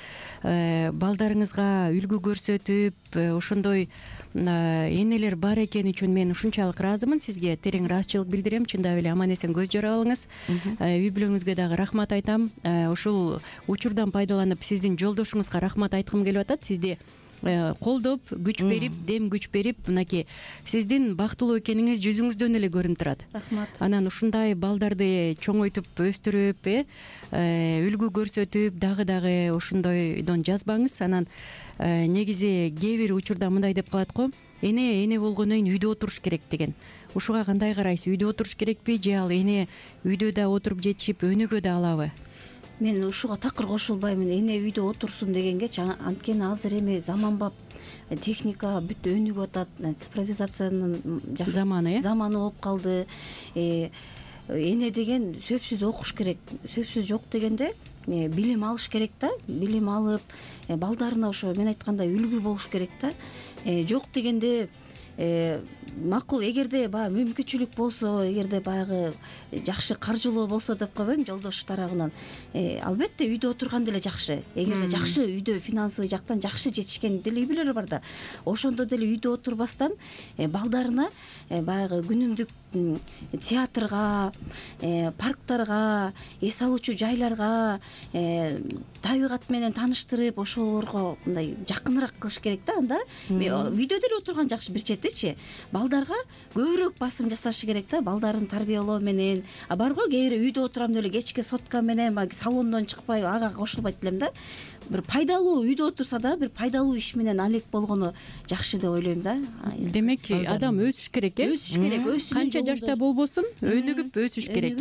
балдарыңызга үлгү көрсөтүп, ошондой энелер бар экени үчүн мен ушунчалык ыраазымын. Сизге терең ыраазычылык билдирем. Чындап эле аман эсен көз жора алыңыз. Үй бүлөңүзгө дагы рахмат айтам. Ушул учурдан пайдаланып сиздин жолдошуңузга рахмат айткым келип атат. Сизди колдоп, күч берип, дем күч берип, мынакей сиздин бактылуу экениңиз жүзүңүздөн эле көрүнүп турат. Рахмат. Анан ушундай балдарды чоңойтуп, өстүрүп, үлгү көрсөтүп, дагы ошондойдон жазбаңыз. Анан негизи кээ бир учурда мындай деп калат го, эне болгондон кийин үйдө отуруш керек деген. Ушуга кандай карайсыз? Үйдө отуруш керекпи же ал эне үйдө да отуруп жетишип, өнүгө да алабы? Мен ушуга такыр кошулбаймын. Эне үйдө отурсун дегенге, анткени азыр эми заманбап техника бүт өнүгүп атат, цифровизациянын заманы болуп калды. Эне деген сөзсүз окуш керек, сөзсүз жок дегенде билим алыш керек да, билим алып, балдарына ошо мен айткандай үлгү болуш керек да. Жок дегенде макул, эгерде баягы мүмкүнчүлүк болсо, эгерде баягы жакшы каржылоо болсо деп койбойм, жолдош тарабынан, албетте үйдө отурган деле жакшы. Эгерде жакшы үйдө финансовый жактан жакшы жетишкен деле үй бүлөлөр бар да, ошондо деле үйдө отурбастан балдарына баягы күнүмдүк театрга, парктарга, эс алуучу жайларга, табигат менен тааныштырып, ошолорго мындай жакыныраак кылыш керек да. Анда үйдө деле отурган жакшы, бир четичи балдарга көбүрөөк басым жасашы керек да, балдарын тарбиялоо менен. Барго кээ бир үйдө отурам деп эле кечке сотка менен салондон чыкпай, ага кошулбайт элем да. Бир пайдалуу үйдө отурса да, бир пайдалуу иш менен алек болгону жакшы деп ойлойм да. Демек, адам өсүш керек, өсүш керек. Канча жашта болбосун, өнүгүп өсүш керек,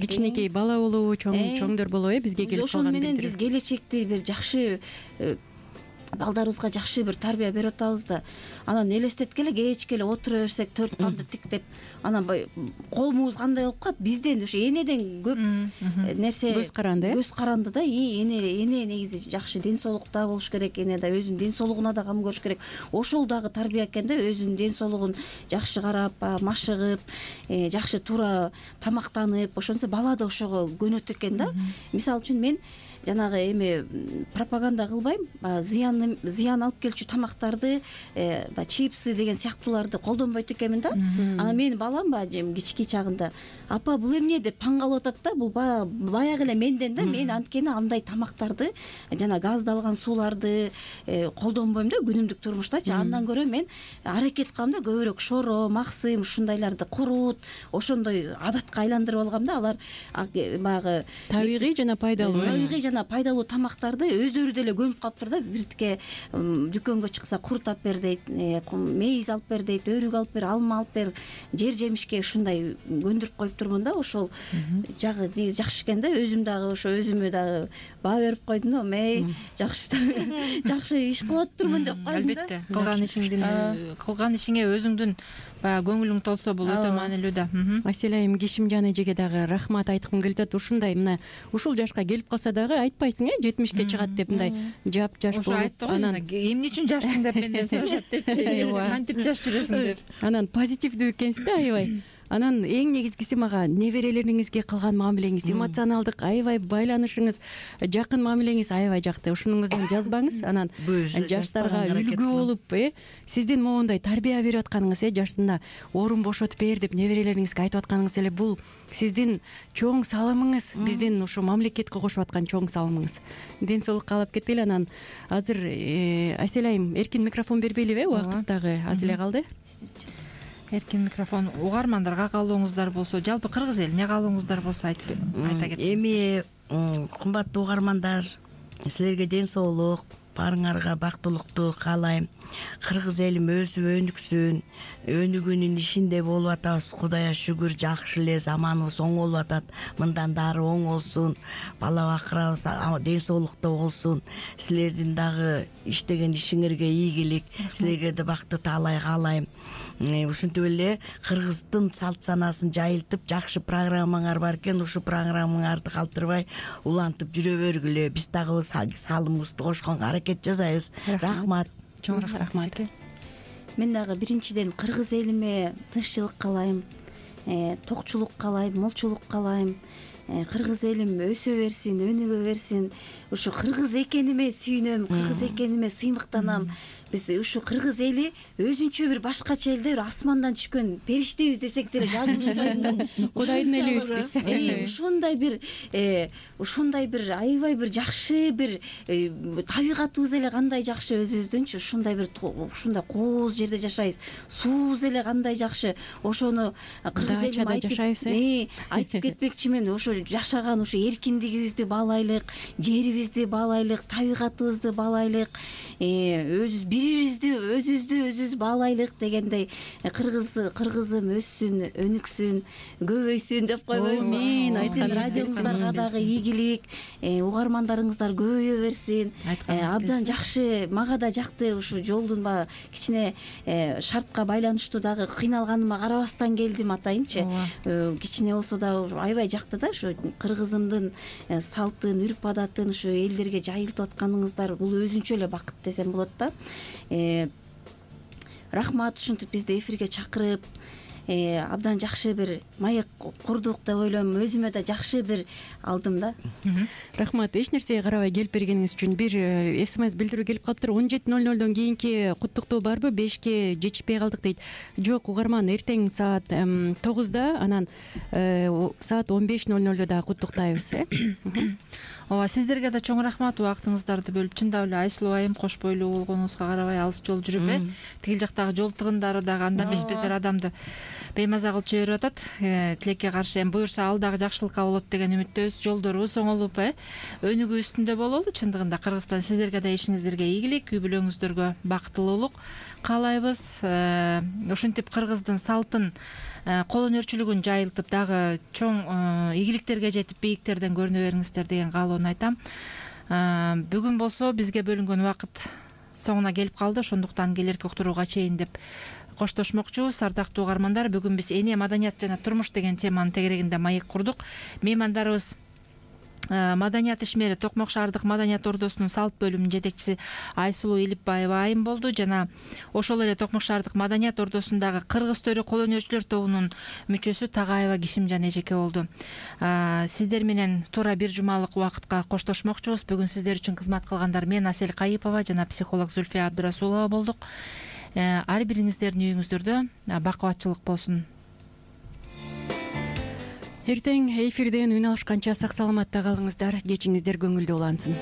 кичинекей бала болобу, чоңдор болобу, бизге келип калган менен биз келечекти бир жакшы балдарыбызга жакшы бир тарбия берип атабыз да. Анан элестеткеле, кечке эле отура берсек, 4 тамды тиктеп, анан коомубуз кандай болуп калат? Бизден ошо энеден көп нерсе көз каранды да. Эне негизи жакшы ден соолукта болуш керек, эне да өзүнүн ден соолугуна да кам көрүш керек. Ошол дагы тарбия экен да, өзүнүн ден соолугун жакшы карап, машыгып, жакшы туура тамактанып, ошонсо бала да ошого көнөт экен да. Мисалы үчүн мен жанагы эми пропаганда кылбайм, зыян алып келчү тамактарды, чипсы деген сыяктууларды колдонбойт экенмин да. Анан менин балам кички чагында, апа бул эмне деп таң калып атат да. Бул баягы эле менден да. Мен анткени андай тамактарды, жана газдалган сууларды колдонбойм да күнүмдүк турмуштачы. Андан көрө мен аракет кылам да, көбүрөөк шоро, максым ушундайларды курут, ошондой адатка айландырып алгам да. Алар баягы табигый жана пайдалуу тамактарды өздөрү деле көнүп калыптыр да. Биртке дүкөнгө чыкса курут алып бер дейт, мейиз алып бер дейт, өрүк алып бер, алма алып бер, жер жемишке ушундай көндүрүп коюптурмун да. Ошол жагы жакшы экен да. Өзүм дагы ошо өзүмө дагы баа берип койдум да. Жакшы иш кылып атырмын деп койдум да. Албетте, кылган ишиңе өзүңдүн баягы көңүлүң толсо бул өтө маанилүү да. Асель айым, Кишимжан эжеге дагы рахмат айткым келип атат. Ушундай мына ушул жашка келип калса дагы айтпайсың, 70ке чыгат деп мындай жап-жаш болуп, анан эмне үчүн жашсың деп менден сурашат депчи, кантип жаш жүрөсүң деп. Анан позитивдүү экенсиз да, аябай. Анан эң негизгиси мага неберелериңизге кылган мамилеңиз, эмоционалдык аябай байланышыңыз, жакын мамилеңиз аябай жакты. Ушунуңуздан жазбаңыз. Анан жаштарга үлгү болуп, сиздин моундай тарбия берип атканыңыз, жашында орун бошотуп бер деп неберелериңизге айтып атканыңыз эле бул сиздин чоң салымыңыз, биздин ушу мамлекетке кошуп аткан чоң салымыңыз. Ден соолук каалап кетели. Анан азыр Асель айым, эркин микрофон бербейлиби? Убакыт дагы аз эле калды. Эркин микрофон. Угармандарга каалооңуздар болсо, жалпы кыргыз элине каалооңуздар болсо айта кетсеңиз. Эми кымбаттуу угармандар, силерге ден соолук, баарыңарга бактылыктуу каалайм. Кыргыз элим өсүп өнүксүн, өнүгүүнүн ишинде болуп атабыз. Кудайга шүгүр, жакшы эле заманыбыз оң болуп атат. Мындан дары оң болсун, бала бакырабыз ден соолукта болсун. Силердин дагы иштеген ишиңерге ийгилик, силерге да бакты таалай каалайм. Ушинтип эле кыргыздын салт санаасын жайылтып, жакшы программаңар бар экен. Ушу программаңарды калтырбай улантып жүрө бергүлө. Биз дагы салымыбызды кошконго аракет жасайбыз. Рахмат. Чоң рахмат. Мен дагы биринчиден кыргыз элиме тынччылык каалайм, токчулук каалайм, молчулук каалайм. Кыргыз элим өсө берсин, өнүгө берсин. Ушу кыргыз экениме сүйүнөм, кыргыз экениме сыймыктанам. Биз ушу кыргыз эли өзүнчө бир башкача элде, бир асмандан түшкөн периштебиз десек деле жаңылышпайт. Кудайдын элибиз биз. Ушундай бир аябай бир жакшы бир табигатыбыз эле кандай жакшы өзүбүздүнчү. Ушундай бир ушундай кооз жерде жашайбыз. Суубуз эле кандай жакшы. Ошону кыргыз элим айтып кетмекчимин. Ошо жашаган ушу эркиндигибизди баалайлык, жерибизди баалайлык, табигатыбызды баалайлык, бирибизди өзүбүз баалайлык дегендей. Кыргызым өссүн, өнүксүн, көбөйсүн деп койбойм. Сиздин радиоңуздарга дагы ийгилик, угармандарыңыздар көбөйө берсин. Абдан жакшы, мага да жакты. Ушу жолдун баягы кичине шартка байланыштуу дагы кыйналганыма карабастан келдим атайынчы. Кичине болсо дагы аябай жакты да. Ушу кыргызымдын салтын, үрп адатын ушу элдерге жайылтып атканыңыздар бул өзүнчө эле бакыт десем болот да. Рахмат, ушинтип бизди эфирге чакырып, абдан жакшы бир маек курдук деп ойлойм. Өзүмө да жакшы бир алдым да. Рахмат, эч нерсеге карабай келип бергениңиз үчүн. Бир СМС билдирүү келип калыптыр. 17:00 кийинки куттуктоо барбы? 5ке жетишпей калдык дейт. Жок, угарман, эртең саат 9-да, анан саат 15:00 дагы куттуктайбыз. Ооба, сиздерге да чоң рахмат, убактыңыздарды бөлүп. Чындап эле Айсулуу айым кош бойлуу болгонуңузга карабай алыс жол жүрүп, тигил жактагы жол тыгындары дагы анда беш бетер адамды беймаза кылып жиберип атат. Тилекке каршы буюрса ал дагы жакшылыкка болот деген үмүттөбүз. Жолдорубуз оңолуп, өнүгүү үстүндө бололу. Чындыгында Кыргызстан сиздерге да ишиңиздерге ийгилик, үй бүлөңүздөргө бактылуулук каалайбыз. Ушинтип кыргыздын салтын, кол өнөрчүлүгүн жайылтып, дагы чоң ийгиликтерге жетип, бийиктерден көрүнө бериңиздер деген каалоону айтам. Бүгүн болсо бизге бөлүнгөн убакыт соңуна келип калды. Ошондуктан келерки уктурууга чейин деп коштошмокчубуз. Ардактуу угармандар, бүгүн биз эне, маданият жана турмуш деген теманын тегерегинде маек курдук. Меймандарыбыз маданият ишмери Токмок шаардык маданият ордосунун салт бөлүмүнүн жетекчиси Айсулуу Илипбаева айым болду жана ошол эле Токмок шаардык маданият ордосундагы кыргыз төрү кол өнөрчүлөр тобунун мүчөсү Тагаева Кишимжан эжеке болду. Сиздер менен туура бир жумалык убакытка коштошмокчубуз. Бүгүн сиздер үчүн кызмат кылгандар мен Асель Кайыпова жана психолог Зульфия Абдрасулова болдук. Ар бириңиздердин үйүңүздөрдө бакубатчылык болсун. Эртең эфирден үн алышканча сак саламатта калыңыздар. Кечиңиздер көңүлдүү улансын.